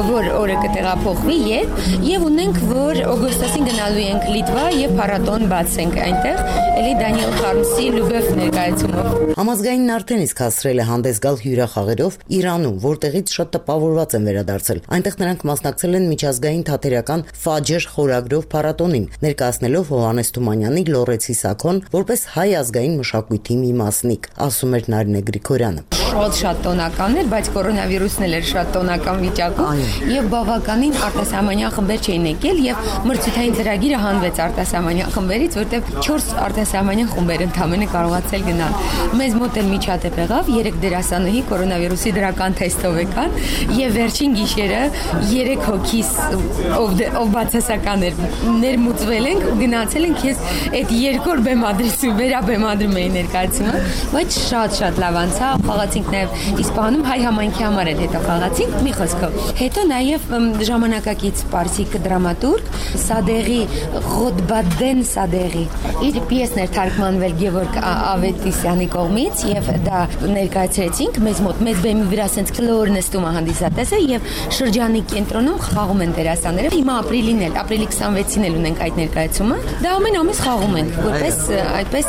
որ օրը կտեղափոխվի երբ, եւ ունենք, որ օգոստոսին գնալու ենք Լիտվա եւ փառատոն բացենք այնտեղ, էլի Դանիել Խարմսի Լուբև ներկայացումով։ Համազգայինն արդեն իսկ հասցրել է հանդես գալ հյուրախաղերով Իրանում, որտեղից շատ տպավորված են վերադարձել։ Այնտեղ նրանք մասնակցել են միջազգային թատերական Ֆաջր խորագրով փառատոնին, ներկայացնելով Հովհաննես Թումանյանի Լոռեցի Սաքոն որպես հայ ազգային մշակույթի մի մասնիկ, ասում էր Նարինե Գրիգորյանը։ Շատ շատ տոնական էր, բայց կորոնավիրուսն էլ էր շատ տոնական վիճակում եւ բավականին արտասահմանյան խմբեր չէին եկել եւ մրցութային ծրագիրը հանվեց արտասահմանյան խմբերից, որտեղ չորս արտասահմանյան խումբեր ընդամենը կարողացել գնալ։ Մեզ մոտ էլ միջադեպ եղավ, երեք դերասանուհի կորոնավիրուսի դրական թեստով եկան եւ վերջին գիշերը երեք հոգիս ով ով բացասական էր ներմուծվել ենք ու գնացել ենք, ես այդ երկու բեմադրություն վերաբեմադրում էի ներկայացումը, բայց շատ շատ լավ անցավ, խաղացինք մենք նաև Իսպանում հայ համայնքի համար էլ հետո խաղացինք, մի խոսքով։ Հետո նաև ժամանակակից պարսիկ դրամատուրգ Սադեղի Ղոդբադեն Սադեղի իր պիեսն էր թարգմանվել Գևորգ Ավետիսյանի կողմից եւ դա ներկայացրեցինք մեզ մոտ մեծ բեմի վրա ասենց կլոր նստում է հանդիսատեսը եւ շրջանի կենտրոնում խաղում են դերասանները։ Հիմա ապրիլին էլ, ապրիլի քսանվեցին էլ ունենք այդ ներկայացումը։ Դա ամեն ամիս խաղում ենք, որպես այդպես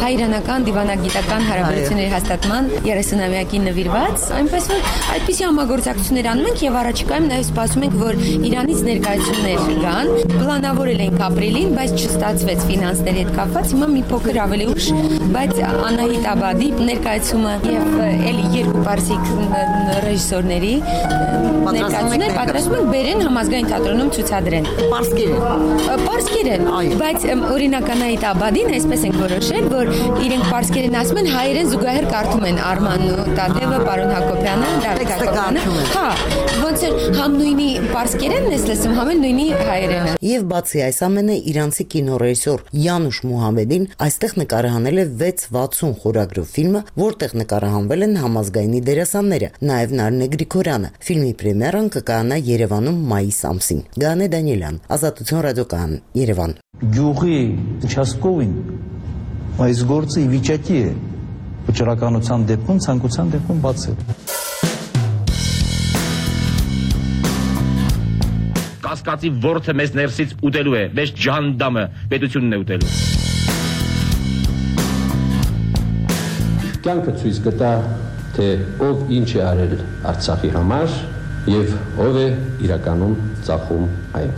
հայ-իրանական դիվանագիտական հարաբերությունների հաստատման երեսունամյակին նվիրված, այնպես որ այդպիսի համագործակցություններ անում ենք եւ առաջիկայում նաեւ սպասում ենք, որ Իրանից ներկայացումներ գան։ Պլանավորել ենք ապրիլին, բայց չստացվեց ֆինանսների հետ կապված, հիմա մի փոքր ավելի ուշ, բայց Անահիտ Աբադի ներկայացումը եւ էլի երկու պարսիկ ռեժիսորների ներկայացումներ պատրաստում ենք բերեն համազգային թատրոնում ցուցադրեն։ Պարսկեր են։ Պարսկեր են, բայց օրինակ Անահիտ Աբադին այսպես ենք որոշել, որ իրենք պարսկերեն ասում են, հայերեն զուգահեռ կարդում են Արմանն ու Տատևը, պարոն Հակոբյանը, Դավիթ Հակոբյանը։ Հա, ոնց էր համ նույնի պարսկերենն ես լսում, համ էլ նույնի հայերենը։ Եվ բացի այս ամենը իրանցի կինոռեժիսոր Յանուշ Մուհամեդին այստեղ նկարահանել է վեց վաթսուն խորագրով ֆիլմը, որտեղ նկարահանվել են համազգայնի դերասանները, նաև Նարինե Գրիգորյանը։ Ֆիլմի պրեմիերան կկայանա Երևանում մայիս ամսին։ Գանե Դանիելյան, Ազատություն ռադիոկայան, Երևան։ Գյուղի участковին այս գործը ի վիճակի է վճռականության դեպքում, ցանկության դեպքում բացել։ Կասկածի ворթը մեզ ներսից ուտելու է, մեզ ջանդամը պետությունն է ուտելու։ Կյանքը ցույց կտա, թե ով ինչ է արել Արցախի համար եւ ով է իրականում ծախում այն։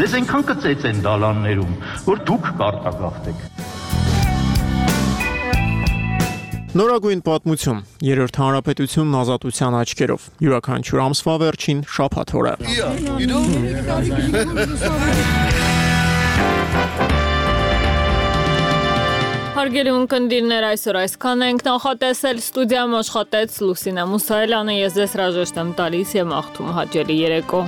Ձեզ այնքան կծեց են դալաններում, որ դուք կարտագաղթեք։ Նորագույն պատմություն, երրորդ հանրապետությունն ազատության աչքերով, յուրաքանչյուր ամսվա վերջին շաբաթ օրը։ Հարգելի ունկնդիրներ, այսօր այսքան ենք նախատեսել, ստուդիայում աշխատեց Լուսինե Մուսայելյանը, ես ձեզ հրաժեշտ եմ տալիս եւ մաղթում հաճելի երեկո։